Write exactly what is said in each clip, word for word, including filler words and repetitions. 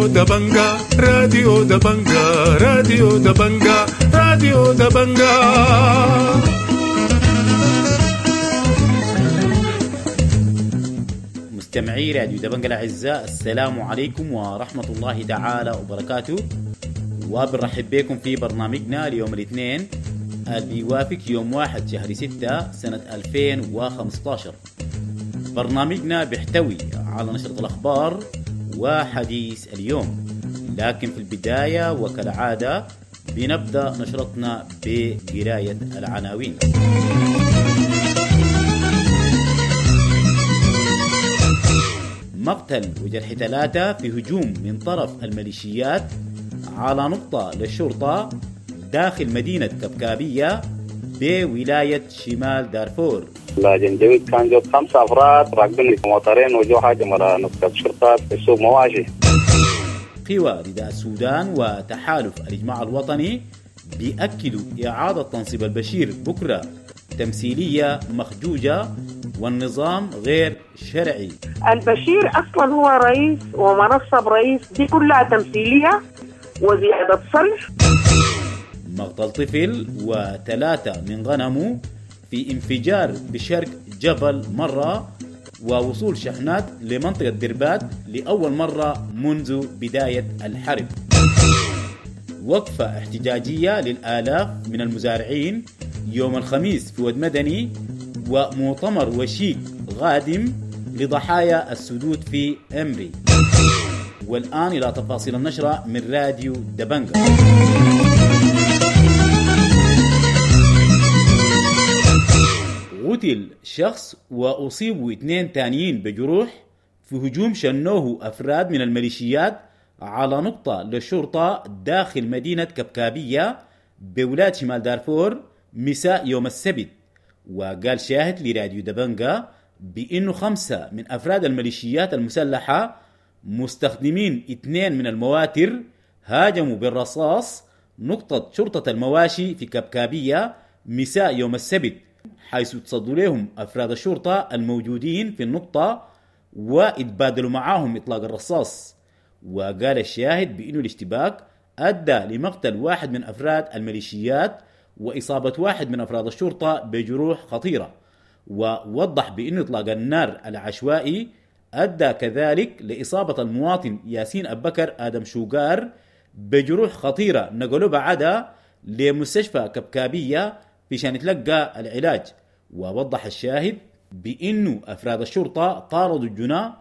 راديو دبنجا راديو دبنجا راديو دبنجا راديو دبنجا. مستمعي راديو دبنجا الأعزاء، السلام عليكم ورحمة الله تعالى وبركاته، وبنرحب بكم في برنامجنا اليوم الاثنين اللي بيوافق يوم واحد شهر ستة سنة ألفين وخمستاشر. برنامجنا بيحتوي على نشرة الأخبار وحديث اليوم، لكن في البداية وكالعادة بنبدأ نشرتنا بقراية العناوين. مقتل وجرح ثلاثة في هجوم من طرف الميليشيات على نقطة للشرطة داخل مدينة كبكابية بولاية شمال دارفور. الجنجويد كان جو خمسة أفراد راكبين موتورين وجو هاجموا على نقطة شرطة في سوق مواشي. قوى رداء السودان وتحالف الإجماع الوطني بيأكدوا إعادة تنصيب البشير بكرة تمثيلية مخجوجة والنظام غير شرعي. البشير أصلا هو رئيس ومنصب رئيس، دي كلها تمثيلية وزيادة صرف. مقتل طفل وثلاثة من غنمه في انفجار بشرق جبل مرة، ووصول شحنات لمنطقة دربات لأول مرة منذ بداية الحرب. وقفة احتجاجية للآلاف من المزارعين يوم الخميس في ود مدني، ومؤتمر وشيك غادم لضحايا السدود في أمري. والآن إلى تفاصيل النشرة من راديو دبنجا. قتل شخص وأصيبوا اثنين تانيين بجروح في هجوم شنوه أفراد من الميليشيات على نقطة للشرطة داخل مدينة كبكابية بولاية شمال دارفور مساء يوم السبت. وقال شاهد لراديو دبنجا بأنه خمسة من أفراد الميليشيات المسلحة مستخدمين اثنين من المواتر هاجموا بالرصاص نقطة شرطة المواشي في كبكابية مساء يوم السبت، حيث تصدوا لهم أفراد الشرطة الموجودين في النقطة واتبادلوا معاهم إطلاق الرصاص. وقال الشاهد بأنه الاشتباك أدى لمقتل واحد من أفراد الميليشيات وإصابة واحد من أفراد الشرطة بجروح خطيرة. ووضح بأنه إطلاق النار العشوائي أدى كذلك لإصابة المواطن ياسين أبكر آدم شوقار بجروح خطيرة نقلوا بعدها لمستشفى كبكابية عشان يتلقى العلاج. ووضح الشاهد بأنه أفراد الشرطة طاردوا الجناة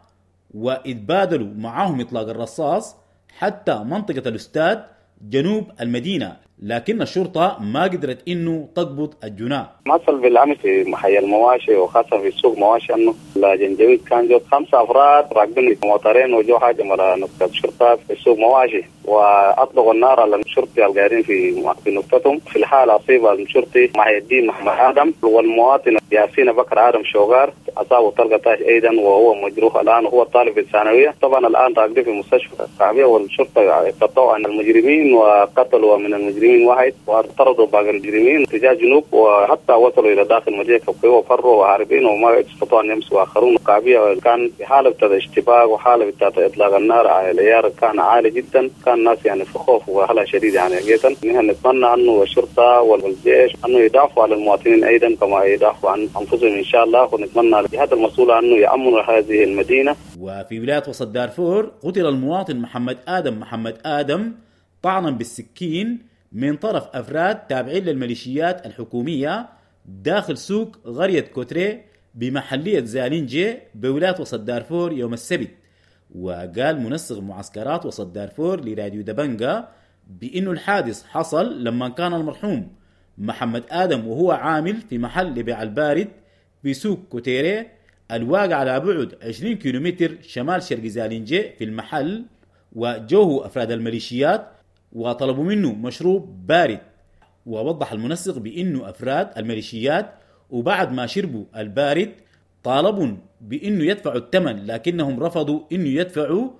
واتبادلوا معاهم إطلاق الرصاص حتى منطقة الأستاد جنوب المدينة، لكن الشرطة ما قدرت إنه تقبض الجناة. حصل بالأمس في محي المواشي وخاصة في سوق مواشي أنه الجنجويد كان جو خمسة أفراد راكبين موتورين وجو هاجموا على نقطة شرطة في سوق مواشي وأطلقوا النار على الشرطي القاعدين في في نقطتهم. في الحالة أصيب الشرطي محي الدين محمد آدم والمواطن ياسين بكر آدم شوغار أصابه طلقة طاش أيضا وهو مجروح الآن وهو طالب في الثانوية. طبعا الآن راكبين في مستشفى الشعبية والشرطة قطعوا عن المجرمين وقتلوا من المجرمين واحد وطردوا باقي المجرمين تجاه جنوب وحتى وصلوا إلى داخل مدينة كبكابية وفروا وهاربين وما استطاعوا أن يمسوا آخرون. كبكابية كان في حالة بتاعت اشتباك وحالة بتاعت إطلاق النار على العيار كان عالي جدا، كان الناس يعني في خوف وهلع شديد يعني حقيقة. نحن نتمنى أنه الشرطة والجيش أنه يدافعوا على المواطنين أيضا كما يدافعوا عن أنفسهم إن شاء الله، ونتمنى الجهات المسؤولة أنه يأمنوا هذه المدينة. وفي ولاية وسط دارفور قتل المواطن محمد آدم محمد آدم طعنا بالسكين من طرف أفراد تابعين للميليشيات الحكومية داخل سوق قرية كوتري بمحلية زالينجي بولاية وسط دارفور يوم السبت. وقال منسق معسكرات وسط دارفور لراديو دبنجا بأنه الحادث حصل لما كان المرحوم محمد آدم وهو عامل في محل لبيع البارد بسوق كوتيري الواقع على بعد عشرين كيلومتر شمال شرق زالينجي في المحل، وجوه أفراد الميليشيات وطلبوا منه مشروب بارد. ووضح المنسق بأنه أفراد الميليشيات وبعد ما شربوا البارد طالبوا بأنه يدفعوا الثمن، لكنهم رفضوا أنه يدفعوا،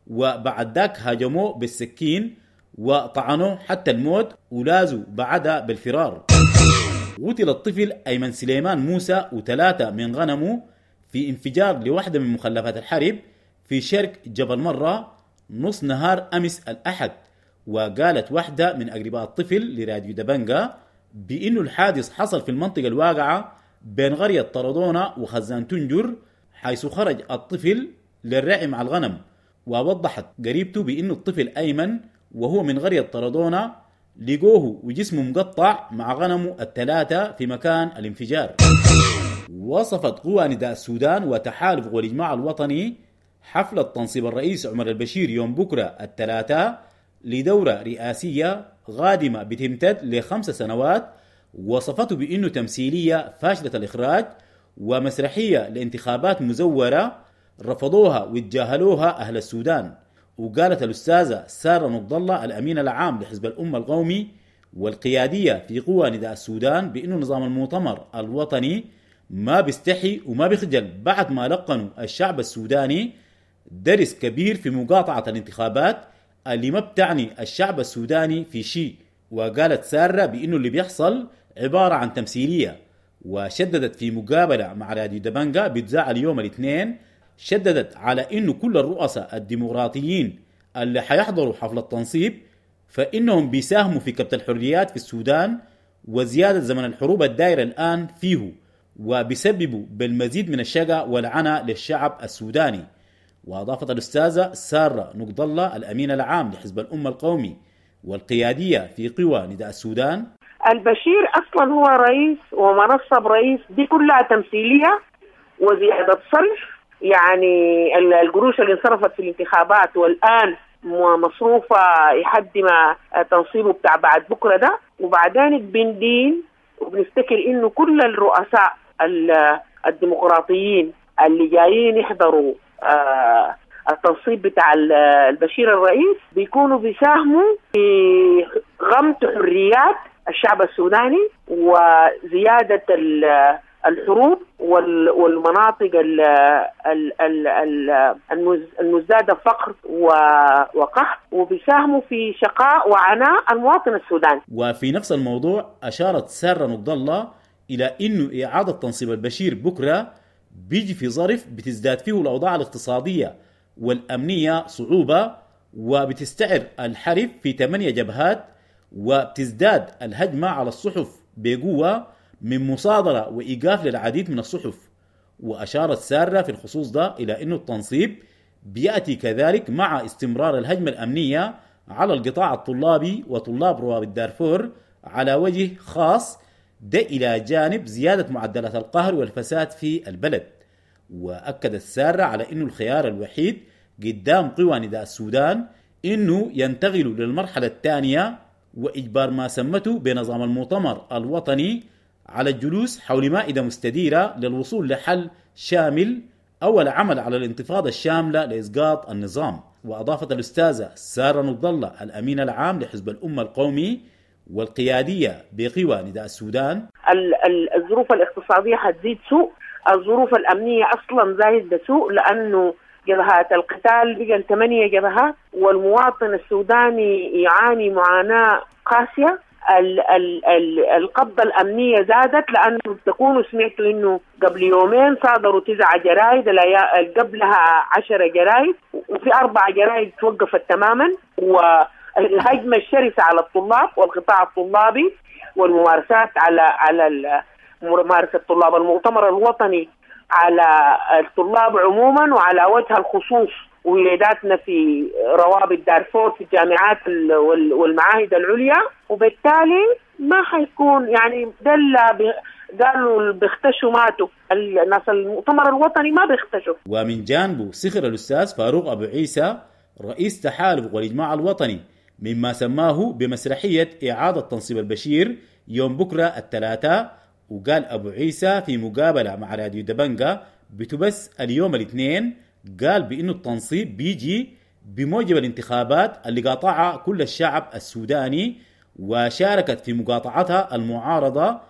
وبعد ذاك هاجموه بالسكين وطعنوه حتى الموت ولازوا بعدها بالفرار. قتل الطفل أيمن سليمان موسى وثلاثة من غنمه في انفجار لواحدة من مخلفات الحرب في شرق جبل مرة نص نهار أمس الأحد. وقالت واحدة من أقرباء الطفل لراديو دبنجا بأنه الحادث حصل في المنطقة الواقعة بين قرية طردونة وخزان تنجر، حيث خرج الطفل للرعي مع الغنم. ووضحت قريبته بأنه الطفل أيمن وهو من قرية طردونة لقوه وجسمه مقطع مع غنمه الثلاثة في مكان الانفجار. وصفت قوى نداء السودان وتحالف قوى الإجماع الوطني حفلة تنصيب الرئيس عمر البشير يوم بكرة الثلاثاء لدورة رئاسية قادمة بتمتد لخمس سنوات، وصفته بأنه تمثيلية فاشلة الإخراج ومسرحية لانتخابات مزورة رفضوها وتجاهلوها أهل السودان. وقالت الأستاذة سارة نقد الله الأمين العام لحزب الأمة القومي والقيادية في قوى نداء السودان بأنه نظام المؤتمر الوطني ما بيستحي وما بيخجل بعد ما لقنوا الشعب السوداني درس كبير في مقاطعة الانتخابات اللي ما بتعني الشعب السوداني في شيء. وقالت سارة بأنه اللي بيحصل عبارة عن تمثيلية. وشددت في مقابلة مع راديو دبنجا بتذاع اليوم الاثنين، شددت على أنه كل الرؤساء الديمقراطيين اللي حيحضروا حفل التنصيب فإنهم بيساهموا في كبت الحريات في السودان وزيادة زمن الحروب الدائرة الآن فيه، وبيسببوا بالمزيد من الشقاء والعناء للشعب السوداني. وأضافت الأستاذة سارة نقد الله الأمين العام لحزب الأمة القومي والقيادية في قوى نداء السودان: البشير أصلا هو رئيس ومنصب رئيس دي كلها تمثيلية وزيادة صرف، يعني القروش اللي انصرفت في الانتخابات والآن مصروفة لحد ما تنصيبه بتاع بعد بكرة ده. وبعدين بندين وبنفتكر إنه كل الرؤساء الديمقراطيين اللي جايين يحضروا آه التنصيب بتاع البشير الرئيس بيكونوا بيساهموا في غمت حريات الشعب السوداني وزيادة الحروب والمناطق المزدادة فقر وقحط، وبيساهموا في شقاء وعناء المواطن السوداني. وفي نفس الموضوع أشارت سارة نقد الله إلى أنه إعادة تنصيب البشير بكرة بيجي في ظرف بتزداد فيه الأوضاع الاقتصادية والأمنية صعوبة، وبتستعر الحرب في ثمانية جبهات، وبتزداد الهجمة على الصحف بقوة من مصادرة وإيقاف للعديد من الصحف. وأشارت سارة في الخصوص ده إلى أنه التنصيب بيأتي كذلك مع استمرار الهجمة الأمنية على القطاع الطلابي وطلاب روابط دارفور على وجه خاص، ده إلى جانب زيادة معدلات القهر والفساد في البلد. وأكدت سارة على أنه الخيار الوحيد قدام قوى نداء السودان أنه ينتقلوا للمرحلة الثانية وإجبار ما سمته بنظام المؤتمر الوطني على الجلوس حول مائدة مستديرة للوصول لحل شامل أو العمل على الانتفاضة الشاملة لإسقاط النظام. وأضافت الأستاذة سارة نقد الله الأمين العام لحزب الأمة القومي والقيادية بقوى نداء السودان: الظروف الاقتصادية حتزيد سوء، الظروف الأمنية أصلا زايدة سوء، لأنه جبهات القتال بقى ثمانية جبهات والمواطن السوداني يعاني معاناة قاسية. ال ال ال القبضة الأمنية زادت، لأنه تكونوا سمعتوا إنه قبل يومين صادروا تسعة جرايد، قبلها عشرة جرايد، وفي أربع جرايد توقفت تماما. والهجمة الشرسة على الطلاب والقطاع الطلابي والممارسات على على ممارسة طلاب المؤتمر الوطني على الطلاب عموما وعلى وجه الخصوص ولاداتنا في روابط دارفور في الجامعات والمعاهد العليا. وبالتالي ما حيكون يعني دل قالوا بيختشوا ماتوا، الناس المؤتمر الوطني ما بيختشوا. ومن جانبه سخر الأستاذ فاروق أبو عيسى رئيس تحالف والإجماع الوطني مما سماه بمسرحية إعادة تنصيب البشير يوم بكرة الثلاثاء. وقال أبو عيسى في مقابلة مع راديو دبنجا بتبث اليوم الاثنين، قال بأنه التنصيب بيجي بموجب الانتخابات اللي قاطعها كل الشعب السوداني وشاركت في مقاطعتها المعارضة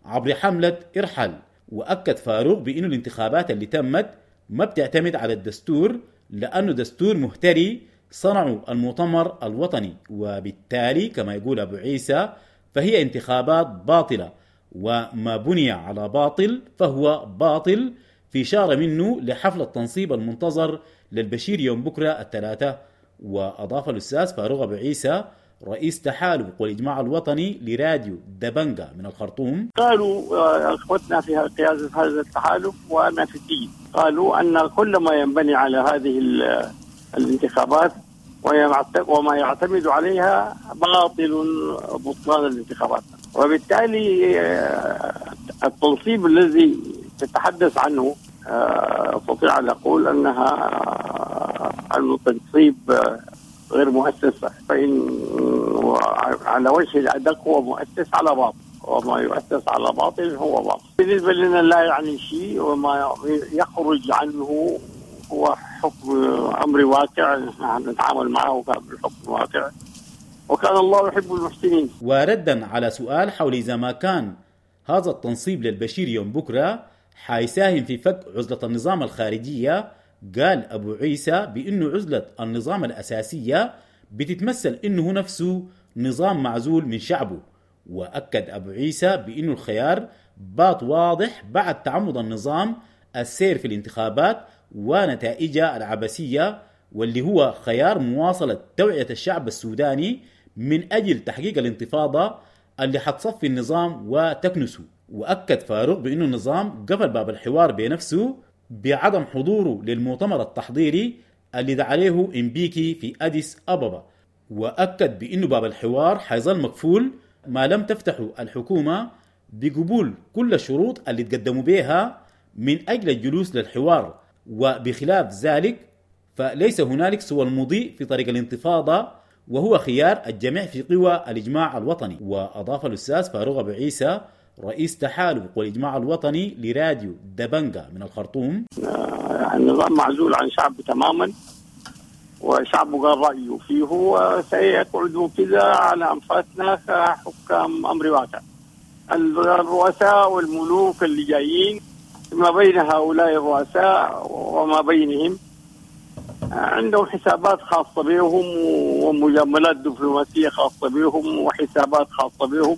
عبر حملة ارحل. وأكد فاروق بأنه الانتخابات اللي تمت ما بتعتمد على الدستور، لأنه دستور مهتري صنعوا المؤتمر الوطني، وبالتالي كما يقول أبو عيسى فهي انتخابات باطلة، وما بني على باطل فهو باطل، في إشارة منه لحفل التنصيب المنتظر للبشير يوم بكرة الثلاثاء. وأضاف الأستاذ فاروق أبو عيسى رئيس تحالف والإجماع الوطني لراديو دبنجا من الخرطوم: قالوا أخوتنا في قيادة هذا التحالف وأنا في السجن، قالوا أن كل ما ينبني على هذه الانتخابات وما يعتمد عليها باطل بطلان الانتخابات، وبالتالي التنصيب الذي تتحدث عنه أستطيع أن أقول أنها أنه تنصيب غير مؤسس، فإن على وجه الأدق هو مؤسس على باطل، وما يؤسس على باطل هو باطل. بالنسبة لنا لا يعني شيء، وما يخرج عنه هو حكم أمر واقع نحن نتعامل معه بالحكم الواقع، وكان الله يحب المحسنين. وردا على سؤال حول إذا ما كان هذا التنصيب للبشير يوم بكرة حيساهم في فك عزلة النظام الخارجية، قال أبو عيسى بأنه عزلة النظام الأساسية بتتمثل أنه نفسه نظام معزول من شعبه. وأكد أبو عيسى بأنه الخيار بات واضح بعد تعمد النظام السير في الانتخابات ونتائجها العبثية، واللي هو خيار مواصلة توعية الشعب السوداني من أجل تحقيق الانتفاضة اللي حتصفي النظام وتكنسه. وأكد فاروق بأنه النظام قفل باب الحوار بنفسه بعدم حضوره للمؤتمر التحضيري اللي دعا عليه إمبيكي في أديس أبابا، وأكد بأنه باب الحوار حيظل مقفول ما لم تفتحه الحكومة بقبول كل الشروط اللي تقدموا بها من أجل الجلوس للحوار، وبخلاف ذلك فليس هنالك سوى المضي في طريق الانتفاضة، وهو خيار الجميع في قوى الإجماع الوطني. وأضاف الأستاذ فاروق أبو عيسى رئيس تحالف والإجماع الوطني لراديو دبنجا من الخرطوم: النظام معزول عن شعبه تماما، وشعبه قال رأيه فيه، وسيقعد كذا على أنفاسنا كحكام أمر واقع. الرؤساء والملوك اللي جايين ما بين هؤلاء الرؤساء وما بينهم عندهم حسابات خاصة بهم ومجاملات دبلوماسية خاصة بهم وحسابات خاصة بهم،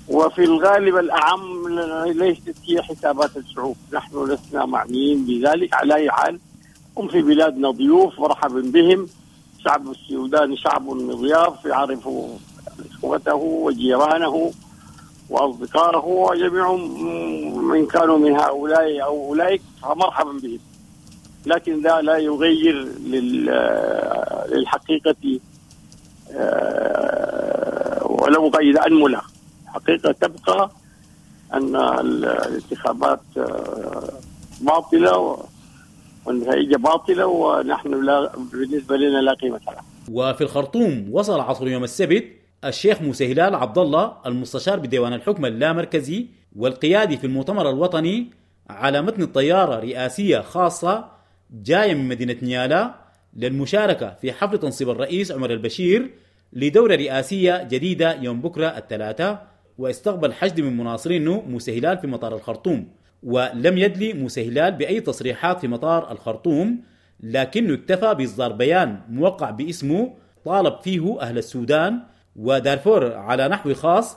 وفي الغالب الأعم ليست هي حسابات الشعوب. نحن لسنا معنيين بذلك. على أي حال هم في بلادنا ضيوف، مرحبا بهم. شعب السودان شعب مضياف، يعرف إخوته وجيرانه وأصدقائه وجميعهم من كانوا من هؤلاء أو أولئك، فمرحبا بهم. لكن ذا لا يغير للحقيقة ولو قيد أنملة. الحقيقة تبقى أن الانتخابات باطلة والنتائج باطلة، ونحن لا بالنسبة لنا لا قيمة لها. وفي الخرطوم وصل عصر يوم السبت الشيخ موسى هلال عبد الله المستشار بديوان الحكم اللامركزي والقيادي في المؤتمر الوطني على متن الطيارة رئاسية خاصة جاية من مدينة نيالا للمشاركة في حفل تنصيب الرئيس عمر البشير لدورة رئاسية جديدة يوم بكرة الثلاثاء. واستقبل حشد من مناصرينه موسى هلال في مطار الخرطوم، ولم يدلي موسى هلال بأي تصريحات في مطار الخرطوم، لكنه اكتفى بإصدار بيان موقع باسمه طالب فيه أهل السودان ودارفور على نحو خاص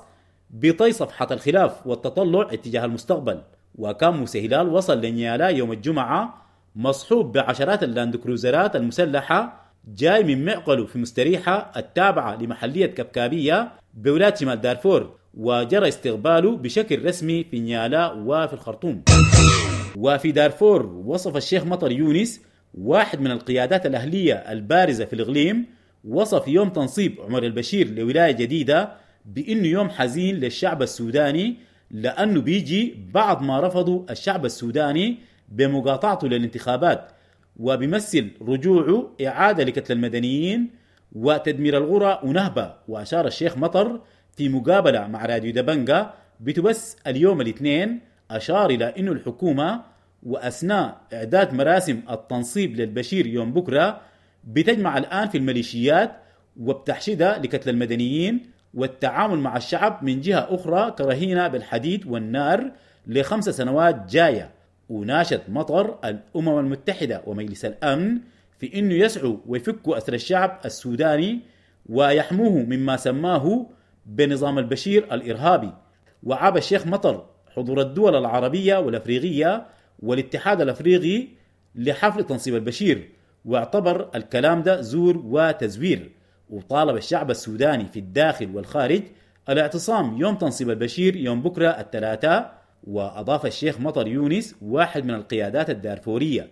بطي صفحة الخلاف والتطلع اتجاه المستقبل. وكان موسى هلال وصل لنيالا يوم الجمعة مصحوب بعشرات اللاندكروزرات المسلحة جاي من معقله في مستريحة التابعة لمحلية كبكابية بولاية شمال دارفور، وجرى استقباله بشكل رسمي في نيالا وفي الخرطوم. وفي دارفور وصف الشيخ مطر يونس واحد من القيادات الأهلية البارزة في الإقليم وصف يوم تنصيب عمر البشير لولاية جديدة بأنه يوم حزين للشعب السوداني، لأنه بيجي بعد ما رفضوا الشعب السوداني بمقاطعته للانتخابات، وبيمثل رجوعه إعادة لقتل المدنيين وتدمير الغرى ونهبة. وأشار الشيخ مطر في مقابلة مع راديو دبنجا بتبث اليوم الاثنين، أشار إلى أن الحكومة وأثناء إعداد مراسم التنصيب للبشير يوم بكرة بتجمع الآن في الميليشيات وبتحشدها لقتل المدنيين والتعامل مع الشعب من جهة أخرى كرهينة بالحديد والنار لخمس سنوات جاية. وناشد مطر الأمم المتحدة ومجلس الأمن في أنه يسعوا ويفكوا أسر الشعب السوداني ويحموه مما سماه بنظام البشير الإرهابي. وعاب الشيخ مطر حضور الدول العربية والأفريقية والاتحاد الأفريقي لحفل تنصيب البشير، واعتبر الكلام ده زور وتزوير، وطالب الشعب السوداني في الداخل والخارج الاعتصام يوم تنصيب البشير يوم بكرة الثلاثاء. وأضاف الشيخ مطر يونس واحد من القيادات الدارفورية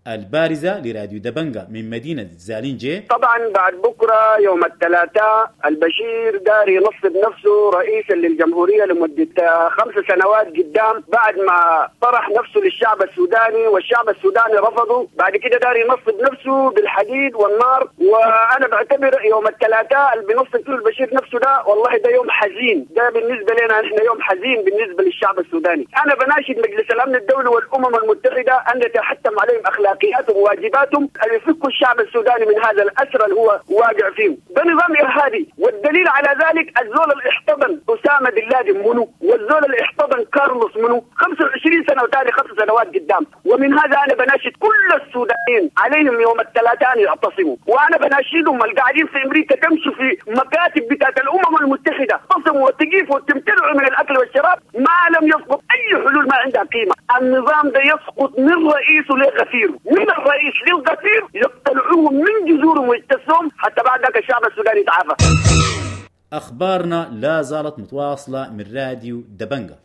البارزة لراديو دبنجة من مدينة زالينجي: طبعا بعد بكرة يوم الثلاثاء البشير دار ينصب نفسه رئيسا للجمهورية لمدة خمس سنوات قدام، بعد ما طرح نفسه للشعب السوداني والشعب السوداني رفضه، بعد كده دار ينصب نفسه بالحديد والنار. وأنا بعتبر يوم الثلاثاء اللي بينصب فيه البشير نفسه ده والله ده يوم حزين، ده بالنسبة لنا نحن يوم حزين بالنسبة للشعب السوداني. أنا بناشد مجلس الأمن الدولي والأمم المتحدة أن يتحتم عليهم أخلاقياتهم وواجباتهم أن يفكوا الشعب السوداني من هذا الأسر اللي هو واقع فيه. ده نظام إرهابي، والدليل على ذلك الزول اللي احتضن أسامة بن لادن منو، والزول اللي احتضن كارلوس منو، خمسة وعشرين سنة وتالي خمس سنوات قدام. ومن هذا أنا بناشد كل السودانيين عليهم يوم الثلاثاء يعتصموا، وأنا بناشدهم القاعدين في أمريكا تمشوا في مكاتب بتاعت الأمم المتحدة، تصموا وتقيفوا وتمتنعوا من الأكل والشراب ما لم يسقط أي حلول ما عندها قيمة. النظام ده يسقط من رئيسه لغفيره، من الرئيس للغفير، يقتلعوهم من جذورهم ويجتثوهم حتى بعد ذاك الشعب السوداني يتعافى. أخبارنا لا زالت متواصلة من راديو دبنجة.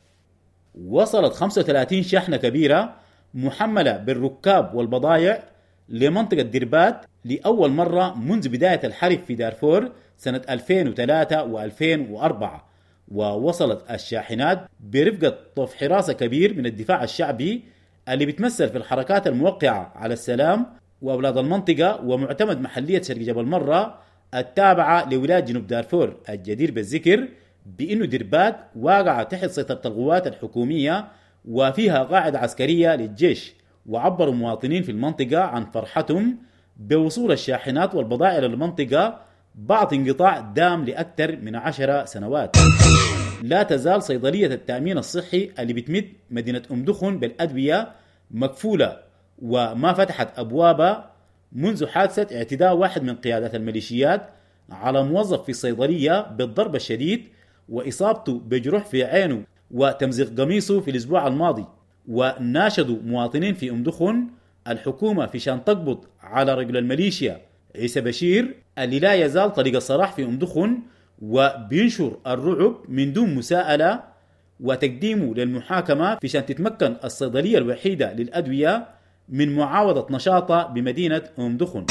وصلت خمسة وثلاثين شحنة كبيرة محملة بالركاب والبضائع لمنطقة دربات لأول مرة منذ بداية الحرب في دارفور سنة ألفين وثلاثة وألفين وأربعة، ووصلت الشاحنات برفقة طف حراسة كبير من الدفاع الشعبي اللي بتمثل في الحركات الموقعة على السلام وأولاد المنطقة ومعتمد محلية شرق جبل مرة التابعة لولاية جنوب دارفور. الجدير بالذكر بأنه دربات واقعة تحت سيطرة القوات الحكومية وفيها قاعدة عسكرية للجيش، وعبروا مواطنين في المنطقة عن فرحتهم بوصول الشاحنات والبضائع للمنطقة بعد انقطاع دام لأكثر من عشر سنوات. لا تزال صيدلية التأمين الصحي اللي بتمد مدينة أم دخن بالأدوية مكفولة وما فتحت أبوابها منذ حادثة اعتداء واحد من قيادات الميليشيات على موظف في الصيدلية بالضرب الشديد وإصابته بجروح في عينه وتمزيق قميصه في الأسبوع الماضي. وناشدوا مواطنين في أم دخن الحكومة في شان تقبض على رجل الميليشيا عيسى بشير اللي لا يزال طريق الصراح في أم دخن وبينشر الرعب من دون مساءلة وتقديمه للمحاكمة في شان تتمكن الصيدلية الوحيدة للأدوية من معاوضة نشاطها بمدينة أم دخن.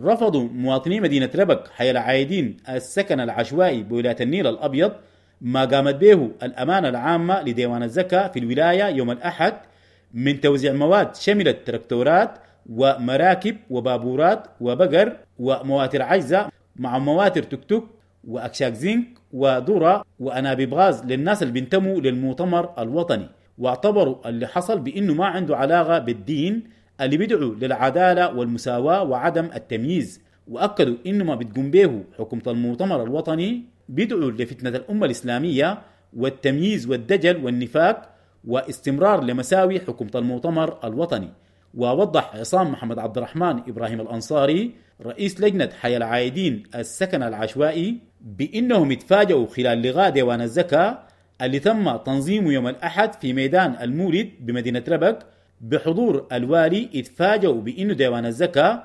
رفضوا مواطني مدينة ربك حي العايدين السكن العشوائي بولاية النيل الأبيض ما قامت به الأمانة العامة لديوان الزكاة في الولاية يوم الأحد من توزيع مواد شملت تراكتورات ومراكب وبابورات وبقر ومواتر عجزة مع مواتر توك توك وأكشاك زنك وذرة وأنابيب غاز للناس اللي بينتموا للمؤتمر الوطني. واعتبروا اللي حصل بأنه ما عنده علاقة بالدين اللي بيدعو للعدالة والمساواة وعدم التمييز، وأكدوا إنه ما بتقوم به حكومة المؤتمر الوطني بيدعو لفتنة الأمة الإسلامية والتمييز والدجل والنفاق واستمرار لمساوي حكومة المؤتمر الوطني. ووضح عصام محمد عبد الرحمن إبراهيم الأنصاري رئيس لجنة حي العايدين السكن العشوائي بأنهم اتفاجؤوا خلال لقاء ديوان الزكاة اللي تم تنظيمه يوم الأحد في ميدان المولد بمدينة ربك بحضور الوالي، اتفاجؤوا بأنه ديوان الزكاة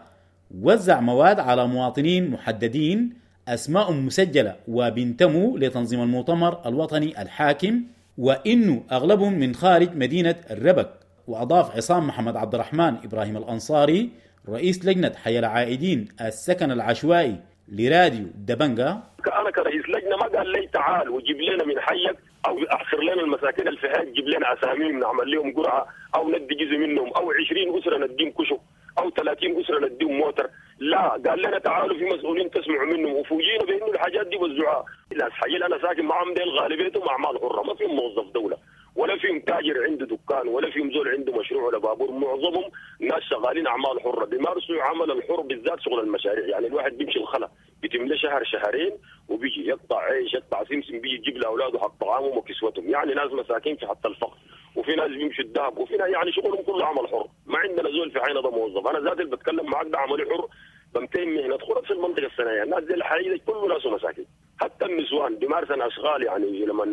وزع مواد على مواطنين محددين أسماء مسجلة وبينتموا لتنظيم المؤتمر الوطني الحاكم، وإنه أغلبهم من خارج مدينة الربك. وأضاف عصام محمد عبد الرحمن إبراهيم الأنصاري رئيس لجنة حي العائدين السكن العشوائي لراديو دبنجة: أنا كرئيس لجنة ما قال لي تعال وجيب لنا من حيك أو أحصر لنا المساكين اللي في حيك، جيب لنا أساميهم نعمل لهم قرعة أو ندي جزء منهم أو عشرين أسرة نديهم كشك أو ثلاثين أسرة نديهم موتر. لا، قال لنا تعالوا في مسؤولين تسمعوا منهم، وفوجئنا بأنه الحاجات دي وزعوها. الحي اللي أنا ساكن معهم ديل غالبيتهم أعمال حرة، ما فيهم موظف دولة ولا فيهم تاجر عنده دكان ولا فيهم زول عنده مشروع ولا بابور، معظمهم ناس شغالين اعمال حره بيمارسوا عمل الحر بالذات شغل المشاريع. يعني الواحد بيمشي الخلا بيتم شهر شهرين وبيجي يقطع عيش يقطع سمسم، بيجي يجيب لاولاده حق طعامهم وكسوتهم. يعني ناس مساكين في حتى الفقر، وفي ناس بيمشوا الذهب، وفي ناس يعني شغلهم كله عمل حر. ما عندنا زول في عينه ده موظف. انا ذاتي اللي بتكلم معاك ده عملي حر، بمتين مهنه خرف في المنطقه الصناعيه. الناس دي الحقيقه كله ناس مساكين، حتى النسوان بيمارسن اشغال، يعني لما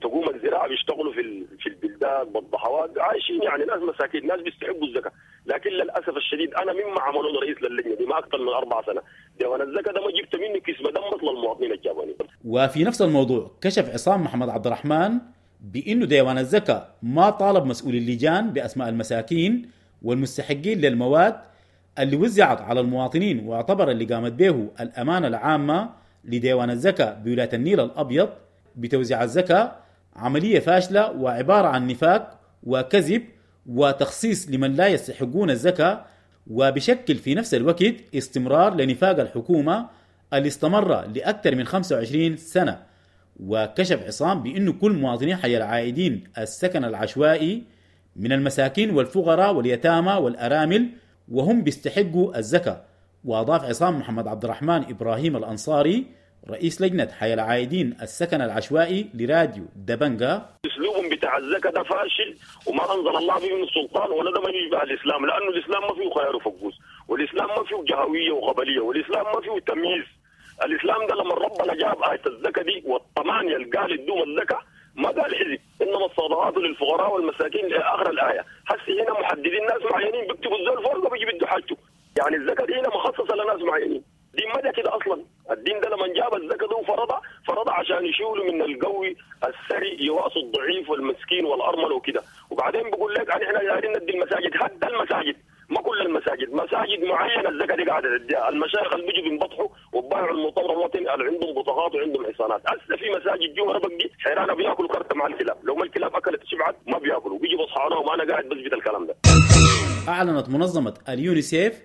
تقوم الزراعه بيشتغلوا في في البلدان بالضحوات، عايشين يعني ناس مساكين، ناس بيستحقوا الزكاه. لكن للاسف الشديد انا مما عملوا رئيس للجنة دي ما اكثر من اربع سنة، ديوان الزكاة ده ما جبت منه كيس دم للمواطنين الجابوني. وفي نفس الموضوع كشف عصام محمد عبد الرحمن بانه ديوان الزكاة ما طالب مسؤولي اللجان باسماء المساكين والمستحقين للمواد اللي وزعت على المواطنين، واعتبر اللي قامت به الأمانة العامة لديوان الزكاة بولاية النيل الأبيض بتوزيع الزكاة عملية فاشلة وعبارة عن نفاق وكذب وتخصيص لمن لا يستحقون الزكاة، وبشكل في نفس الوقت استمرار لنفاق الحكومة اللي استمر لأكثر من خمسة وعشرين سنة. وكشف عصام بأنه كل مواطني حي العائدين السكن العشوائي من المساكين والفقراء واليتامى والأرامل وهم بيستحقوا الزكاة. وأضاف عصام محمد عبد الرحمن إبراهيم الأنصاري رئيس لجنة حي العائدين السكن العشوائي لراديو دبنجا: اسلوبهم بتاع الزكاة ده فاشل وما انزل الله به من السلطان، ولا ده ما يشبه الاسلام، لانه الاسلام ما فيه خيار وفقوس، والاسلام ما فيه جهويه وقبليه، والاسلام ما فيه تمييز. الاسلام ده لما ربنا جاب آية الزكاة دي والثمانية اللي قال ادوم الزكاة ما قال حزب، انما الصدقات للفقراء والمساكين الى اخر الايه. هسه هنا محددين ناس معينين بيكتبوا الزول فوق وبيجي بده حاجته، يعني الزكاة دي هنا مخصصة لناس معينين، دي ما ده كده اصلا. الدين ده لما جاب الزكاة ده وفرضها فرضها عشان يشيلوا من القوي الثري يواصوا الضعيف والمسكين والارمل وكده. وبعدين بقول لك احنا دايرين ندي المساجد، هدى المساجد، ما كل المساجد، مساجد معينة الزكاة دي قاعدة تديها، المشايخ اللي بيجوا بينبطحوا وبايعوا المؤتمر الوطني اللي عندهم بطاقات وعندهم حصانات. هسه في مساجد جوا ربك دي حيرانه بياكلوا كرته مع الكلاب، لو ما الكلاب اكلت شبعت ما بياكلوا، بيجوا بصحانهم. وانا قاعد بثبت الكلام ده. اعلنت منظمة اليونيسيف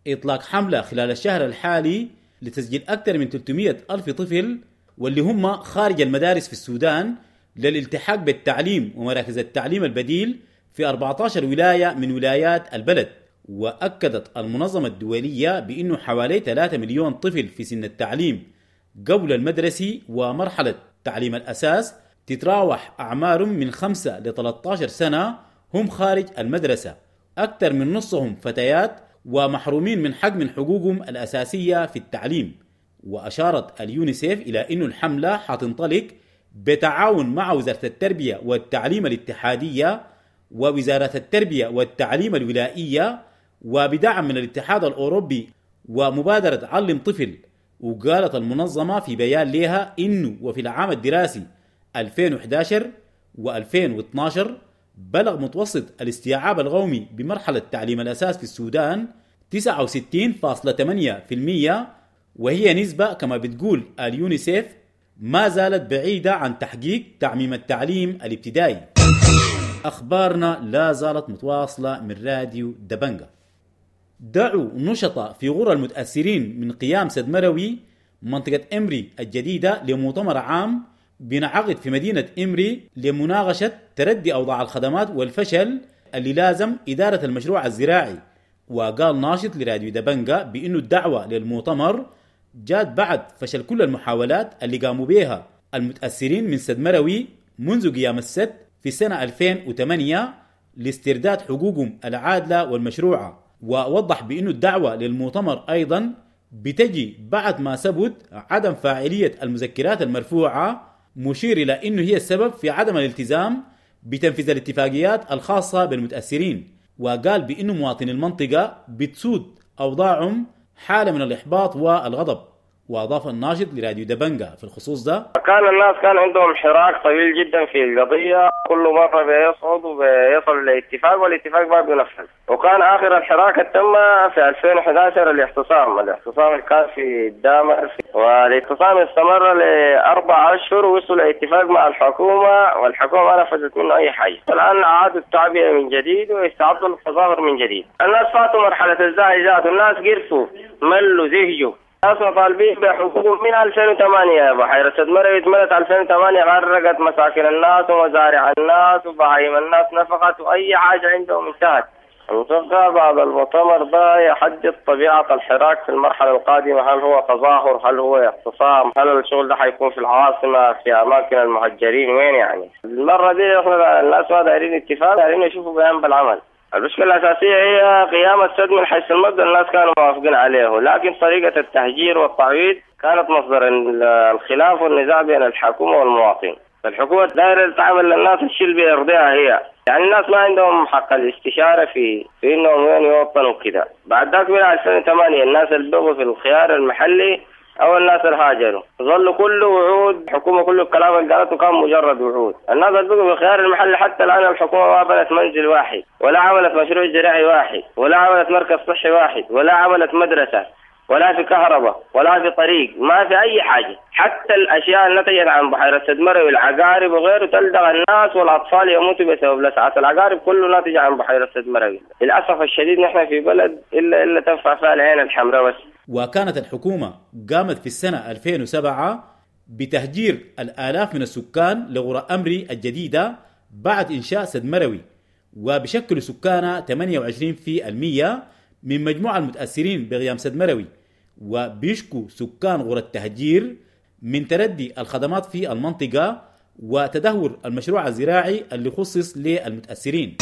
إطلاق حملة خلال الشهر الحالي لتسجيل أكثر من ثلاثمئة ألف طفل واللي هم خارج المدارس في السودان للالتحاق بالتعليم ومراكز التعليم البديل في أربعة عشر ولاية من ولايات البلد. وأكدت المنظمة الدولية بأنه حوالي ثلاثة مليون طفل في سن التعليم قبل المدرسي ومرحلة تعليم الأساس تتراوح أعمارهم من خمسة ل ثلاثة عشر سنة هم خارج المدرسة، أكثر من نصهم فتيات ومحرومين من حق من حقوقهم الأساسية في التعليم. وأشارت اليونيسيف إلى أن الحملة حتنطلق بتعاون مع وزارة التربية والتعليم الاتحادية ووزارة التربية والتعليم الولائية وبدعم من الاتحاد الأوروبي ومبادرة علم طفل. وقالت المنظمة في بيان لها إنه وفي العام الدراسي ألفين وأحد عشر وألفين واثني عشر بلغ متوسط الاستيعاب القومي بمرحلة تعليم الأساس في السودان تسعة وستين فاصلة ثمانية بالمئة، وهي نسبة كما بتقول اليونيسيف ما زالت بعيدة عن تحقيق تعميم التعليم الابتدائي. أخبارنا لا زالت متواصلة من راديو دبنجا. دعوا نشطاء في غرى المتأثرين من قيام سد مروي منطقة إمري الجديدة لمؤتمر عام بنعقد في مدينة إمري لمناقشة تردي أوضاع الخدمات والفشل اللي لازم إدارة المشروع الزراعي. وقال ناشط لراديو دبنجا بأنه الدعوة للمؤتمر جاءت بعد فشل كل المحاولات اللي قاموا بها المتأثرين من سد مروي منذ قيام السد في سنة ألفين وثمانية لاسترداد حقوقهم العادلة والمشروعة. ووضح بأنه الدعوة للمؤتمر أيضا بتجي بعد ما ثبت عدم فاعلية المذكرات المرفوعة، مشير إلى أنه هي السبب في عدم الالتزام بتنفيذ الاتفاقيات الخاصة بالمتأثرين. وقال بأنه مواطني المنطقة بتسود أوضاعهم حالة من الإحباط والغضب. وأضاف الناشط لراديو دبنجا في الخصوص ده: كان الناس كان عندهم حراك طويل جدا في القضية، كل مرة بيصعدوا بيصلوا لاتفاق والاتفاق ما بينفذ. وكان آخر الحراك تم في ألفين وأحد عشر الاعتصام، الاعتصام اللي كان في الدامر، والاعتصام استمر لأربع أشهر ووصلوا لاتفاق مع الحكومة والحكومة ما نفذت منه أي حاجة. الآن أعادوا التعبئة من جديد ويستعدوا للتظاهر من جديد. الناس فاتوا مرحلة الزعجات، والناس قرفوا ملوا زهجوا. الناس مطالبين بحقوقهم من ألفين وثمانية. بحيرة سد مروي اتملت ألفين وثمانية، غرقت مساكن الناس ومزارع الناس وبهايم الناس نفقت وأي حاجة عندهم انتهت. المتوقع بعد المؤتمر ده يحدد طبيعة الحراك في المرحلة القادمة، هل هو تظاهر، هل هو اعتصام، هل الشغل ده حيكون في العاصمة في أماكن المهجرين وين يعني. المرة دي احنا الناس ما دايرين اتفاق، دايرين يشوفوا بيان بالعمل. المشكلة الأساسية هي قيام السد من حيث المبدأ، الناس كانوا موافقين عليه، لكن طريقة التهجير والتعويض كانت مصدر الخلاف والنزاع بين الحكومة والمواطن. فالحكومة دايرة تعمل للناس الشيء اللي بيرضيها هي، يعني الناس ما عندهم حق الاستشارة في في انهم وين يوطنوا كده. بعد ذاك من ألفين وثمانية الناس اللي بقوا في الخيار المحلي او الناس اللي هاجروا ظلوا كله وعود، الحكومة كل الكلام اللي قالته كان مجرد وعود. الناس اللي بقوا في الخيار المحلي حتى الان الحكومة ما بنت منزل واحد، ولا عملت مشروع زراعي واحد، ولا عملت مركز صحي واحد، ولا عملت مدرسة، ولا في كهرباء، ولا في طريق، ما في أي حاجة. حتى الأشياء اللي نتجت عن بحيرة سد مروي والعقارب وغيره تلدغ الناس والأطفال يموتوا بسبب لسعة العقارب، كله ناتج عن بحيرة سد مروي. للأسف الشديد نحن في بلد إلا إلا تنفع فيها العين الحمراء بس. وكانت الحكومة قامت في السنة ألفين وسبعة بتهجير الآلاف من السكان لغرى أمري الجديدة بعد إنشاء سد مروي، وبشكل سكانها ثمانية وعشرين بالمئة من مجموع المتأثرين بغيام سد مروي. وبيشكو سكان غرى التهجير من تردي الخدمات في المنطقة وتدهور المشروع الزراعي اللي خصص للمتأثرين.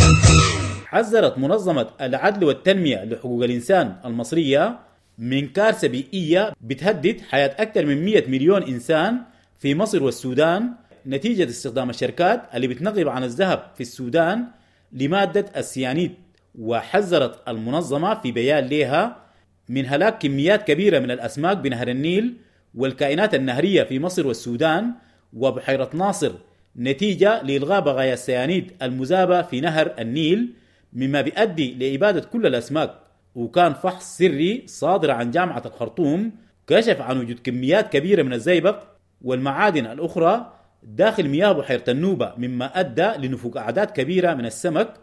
حذرت منظمة العدل والتنمية لحقوق الإنسان المصرية من كارثة بيئية بتهدد حياة أكثر من مئة مليون إنسان في مصر والسودان نتيجة استخدام الشركات اللي بتنقب عن الذهب في السودان لمادة السيانيد. وحذرت المنظمة في بيان لها من هلاك كميات كبيرة من الأسماك بنهر النيل والكائنات النهرية في مصر والسودان وبحيرة ناصر نتيجة لإلغاء بقايا السيانيد المذابة في نهر النيل، مما بيؤدي لإبادة كل الأسماك. وكان فحص سري صادر عن جامعة الخرطوم كشف عن وجود كميات كبيرة من الزيبق والمعادن الأخرى داخل مياه بحيرة النوبة، مما أدى لنفوق أعداد كبيرة من السمك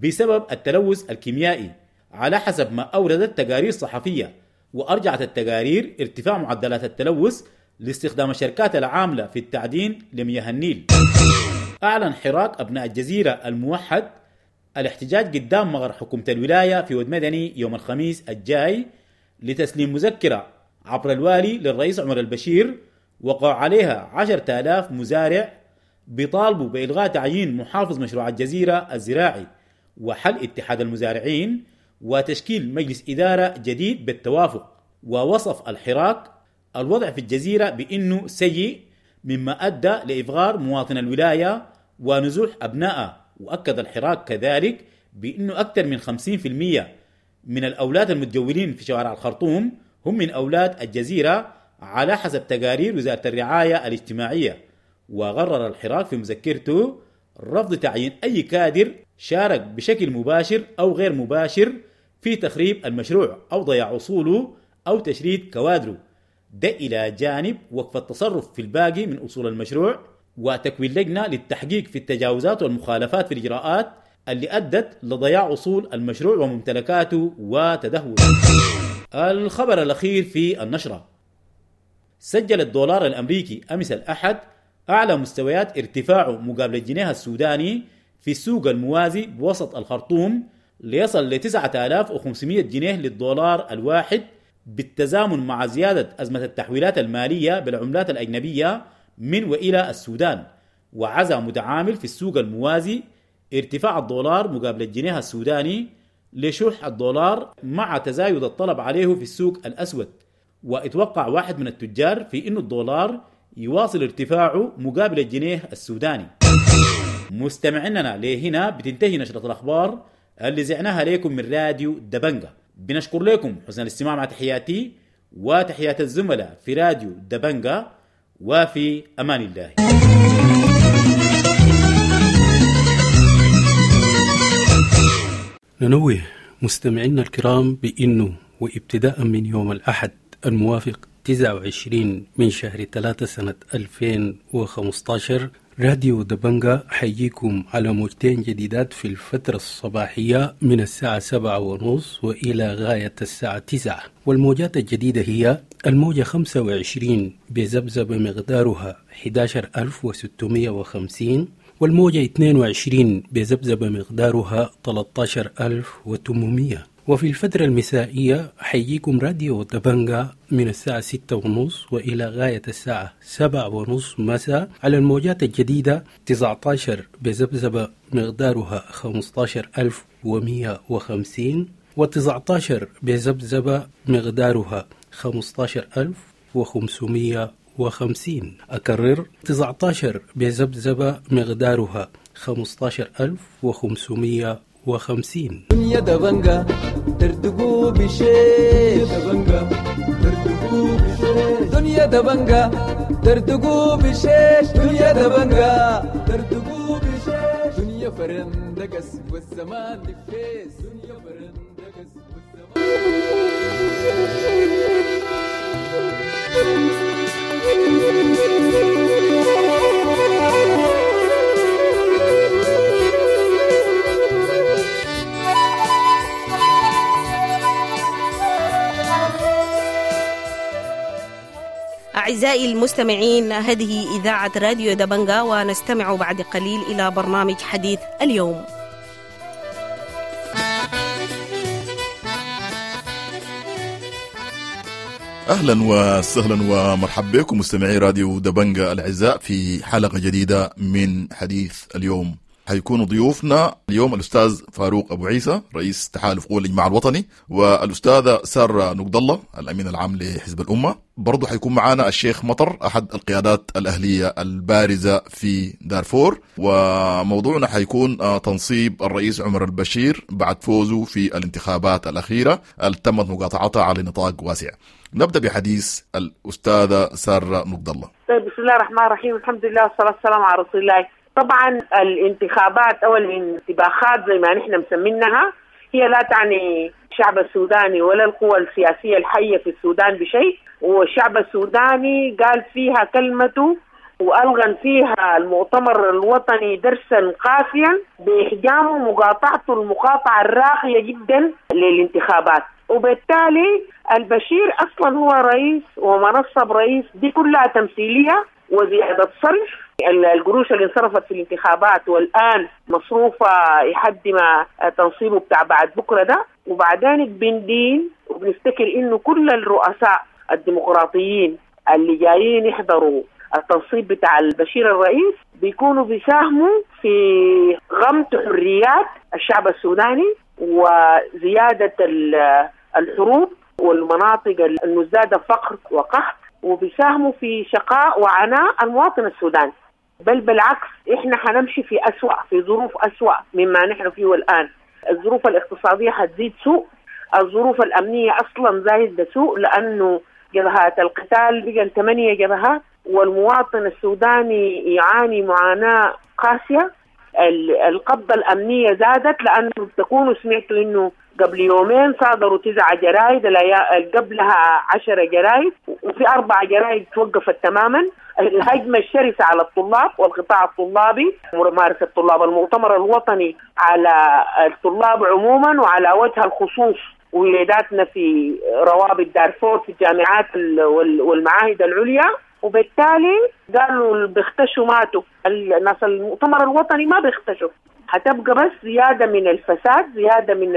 بسبب التلوث الكيميائي على حسب ما أوردت تقارير صحفية. وأرجعت التقارير ارتفاع معدلات التلوث لاستخدام الشركات العاملة في التعدين لمياه النيل. أعلن حراك أبناء الجزيرة الموحد الاحتجاج قدام مغر حكومة الولاية في ود مدني يوم الخميس الجاي لتسليم مذكرة عبر الوالي للرئيس عمر البشير وقع عليها عشرة آلاف مزارع بيطالبوا بإلغاء تعيين محافظ مشروع الجزيرة الزراعي وحل اتحاد المزارعين وتشكيل مجلس إدارة جديد بالتوافق. ووصف الحراك الوضع في الجزيرة بأنه سيء، مما أدى لإفغار مواطن الولاية ونزوح أبنائه. وأكد الحراك كذلك بأنه أكثر من خمسين بالمئة من الأولاد المتجولين في شوارع الخرطوم هم من أولاد الجزيرة على حسب تقارير وزارة الرعاية الاجتماعية. وغرر الحراك في مذكرته رفض تعيين أي كادر شارك بشكل مباشر أو غير مباشر في تخريب المشروع أو ضياع أصوله أو تشريد كوادره، ده إلى جانب وقف التصرف في الباقي من أصول المشروع وتكوين لجنة للتحقيق في التجاوزات والمخالفات في الإجراءات اللي أدت لضياع أصول المشروع وممتلكاته وتدهوره. الخبر الأخير في النشرة: سجل الدولار الأمريكي أمس الأحد أعلى مستويات ارتفاعه مقابل الجنيه السوداني في السوق الموازي بوسط الخرطوم ليصل ل تسعة آلاف وخمسمائة جنيه للدولار الواحد، بالتزامن مع زيادة أزمة التحويلات المالية بالعملات الأجنبية من وإلى السودان. وعزى متعامل في السوق الموازي ارتفاع الدولار مقابل الجنيه السوداني لشح الدولار مع تزايد الطلب عليه في السوق الأسود. واتوقع واحد من التجار في أن الدولار يواصل ارتفاعه مقابل الجنيه السوداني. مستمعيننا لهنا بتنتهي نشرة الأخبار اللي زعناها لكم من راديو دبنجة. بنشكر لكم حسن الاستماع، مع تحياتي وتحيات الزملاء في راديو دبنجة، وفي أمان الله. ننوه مستمعينا الكرام بأنه وابتداء من يوم الأحد الموافق تسعة وعشرين من شهر ثلاثة سنة ألفين وخمسة عشر راديو دبنجة حييكم على موجتين جديدات في الفترة الصباحية من الساعة سبعة ونص وإلى غاية الساعة تسعة، والموجات الجديدة هي الموجة خمسة وعشرين بذبذبة مقدارها أحد عشر ألف وستمائة وخمسين، والموجة اثنين وعشرين بذبذبة مقدارها ثلاثة عشر ألف وثمانمائة. وفي الفترة المسائية حييكم راديو دبنجة من الساعة ستة ونص وإلى غاية الساعة سبعة ونص مساء على الموجات الجديدة تسعة عشر بذبذبة مقدارها خمسة عشر ألف ومئة وخمسين، وتسعة عشر بذبذبة مقدارها خمسة عشر ألف وخمسمائة وخمسين. أكرر تسعة عشر بذبذبة مقدارها خمسة عشر ألف وخمسمية وخمسين. دنيا دبنجا تردقو بشيش، دبنجا تردقو بشيش، دنيا دبنجا تردقو بشيش، دنيا دبنجا تردقو بشيش، دنيا فرندقس والزمان دفيس، دنيا فرندقس والزمان. أعزائي المستمعين، هذه إذاعة راديو دبنجا، ونستمع بعد قليل إلى برنامج حديث اليوم. أهلا وسهلا ومرحبا بكم مستمعي راديو دبنجا الأعزاء في حلقة جديدة من حديث اليوم. حيكون ضيوفنا اليوم الأستاذ فاروق أبو عيسى رئيس تحالف قوى الإجماع الوطني، والأستاذة سارة نقد الله الأمين العام لحزب الأمة. برضو حيكون معنا الشيخ مطر أحد القيادات الأهلية البارزة في دارفور، وموضوعنا حيكون تنصيب الرئيس عمر البشير بعد فوزه في الانتخابات الأخيرة اللي تمت مقاطعتها على نطاق واسع. نبدأ بحديث الأستاذة سارة نقد الله. طيب، بسم الله الرحمن الرحيم، الحمد لله والصلاة والسلام على رسول الله. طبعا الانتخابات أو الانتباخات زي ما نحن مسمينها هي لا تعني الشعب السوداني ولا القوى السياسية الحية في السودان بشيء، والشعب السوداني قال فيها كلمته وألغن فيها المؤتمر الوطني درسا قاسيا بإحجامه ومقاطعته المقاطعة الراقية جدا للانتخابات. وبالتالي البشير أصلا هو رئيس ومنصب رئيس دي كلها تمثيلية وزيادة صرف. القروش اللي انصرفت في الانتخابات والآن مصروفة لحد ما تنصيبه بتاع بعد بكرة ده. وبعدين بندين وبنفتكر إنه كل الرؤساء الديمقراطيين اللي جايين يحضروا التنصيب بتاع البشير الرئيس بيكونوا بيساهموا في غمت حريات الشعب السوداني وزيادة الحروب والمناطق المزدادة فقر وقحط، وبيساهموا في شقاء وعناء المواطن السوداني. بل بالعكس احنا حنمشي في أسوأ، في ظروف أسوأ مما نحن فيه الآن. الظروف الاقتصادية حتزيد سوء، الظروف الأمنية أصلا زايدة سوء لأنه جبهات القتال بقى ثمانية جبهات، والمواطن السوداني يعاني معاناة قاسية. القبضة الأمنية زادت لأنه تكونوا سمعتوا إنه قبل يومين صادروا تسعة جرايد، قبلها عشرة جرايد، وفي أربع جرايد توقفت تماما. الهجمة الشرسة على الطلاب والقطاع الطلابي، ممارسة طلاب المؤتمر الوطني على الطلاب عموما وعلى وجه الخصوص ولاداتنا في روابط دارفور في الجامعات والمعاهد العليا. وبالتالي قالوا بيختشوا ماتوا، الناس المؤتمر الوطني ما بيختشوا. هتبقى بس زيادة من الفساد، زيادة من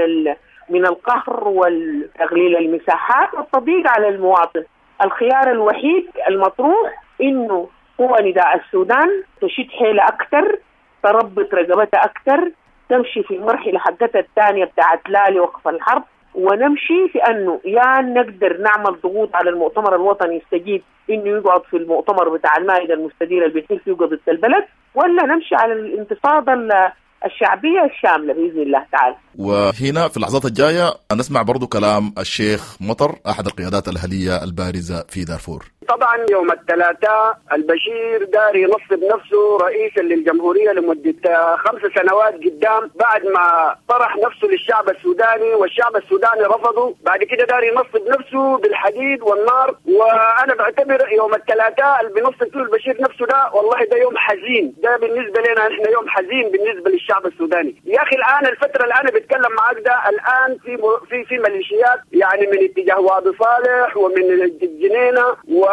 من القهر والتغليل المساحات والتضييق على المواطن. الخيار الوحيد المطروح إنه قوى نداء السودان تشد حيلة أكثر، تربط رقبتها أكثر، تمشي في المرحلة حقتها الثانية بتاعت لا لوقف الحرب، ونمشي في أنه يا نقدر نعمل ضغوط على المؤتمر الوطني يستجيب إنه يقعد في المؤتمر بتاع المائدة المستديرة اللي بيحل فيه قضية البلد، ولا نمشي على الانتفاضة الشعبية الشاملة بإذن الله تعالى. وهنا في اللحظات الجاية نسمع برضو كلام الشيخ مطر أحد القيادات الأهلية البارزة في دارفور. طبعا يوم الثلاثاء البشير داري ينصب نفسه رئيسا للجمهورية لمدة خمس سنوات قدام، بعد ما طرح نفسه للشعب السوداني والشعب السوداني رفضه. بعد كده داري ينصب نفسه بالحديد والنار. وانا بعتبر يوم الثلاثاء اللي بينصب فيه البشير نفسه ده والله ده يوم حزين، ده بالنسبة لنا احنا يوم حزين بالنسبة للشعب السوداني. يا اخي الان الفترة اللي انا بتكلم معاك ده الان في في في ميليشيات يعني من اتجاه وادي صالح ومن الجنينة، و